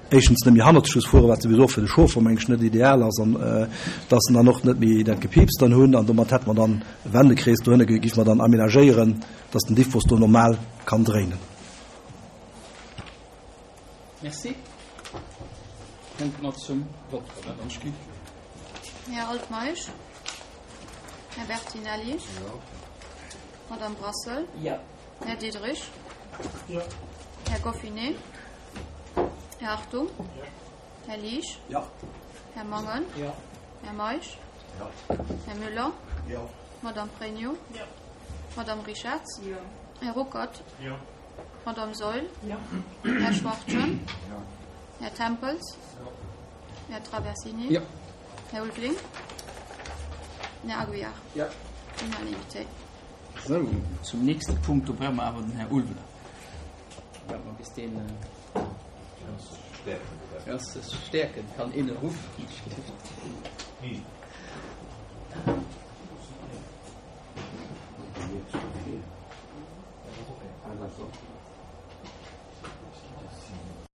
éischtens net méi hannerzeg muss fueren, wat souwisou och fir de Chauffer, meng ech, net ideal ass, an dass en dann och net méi dat Gepiips dann hunn. An domat hätte mer dann e Wendekrees dohinne, géife mer dann aménagéieren, dass den Diffbus do normal kann dréinen. Merci. Kënnte mer zum Vott kommen, wann ech giff. Här Altmeisch? Här Bertinelli? Jo. Madame Brassel? Jo. Här Diderich? Jo. Här Goffinet? Här Hartung? Jo. Här Liesch? Jo. Här Mangen? Jo. Här Meisch? Jo. Här Müller? Jo. Madame Pregno? Jo. Madame Richarz? Jo. Här Ruckert? Jo. Madame Saeul? Jo. Här Schwachtgen? Jo. Här Tempels? Jo. Här Traversini? Jo. Här Ulveling? Här Aguiar? Jo. Unanimité. Sou, zum nächste Punkt, do brauche mer awer den Här Ulveling. Waarde mer bis deen. Stäerken. Kann een e ruffen?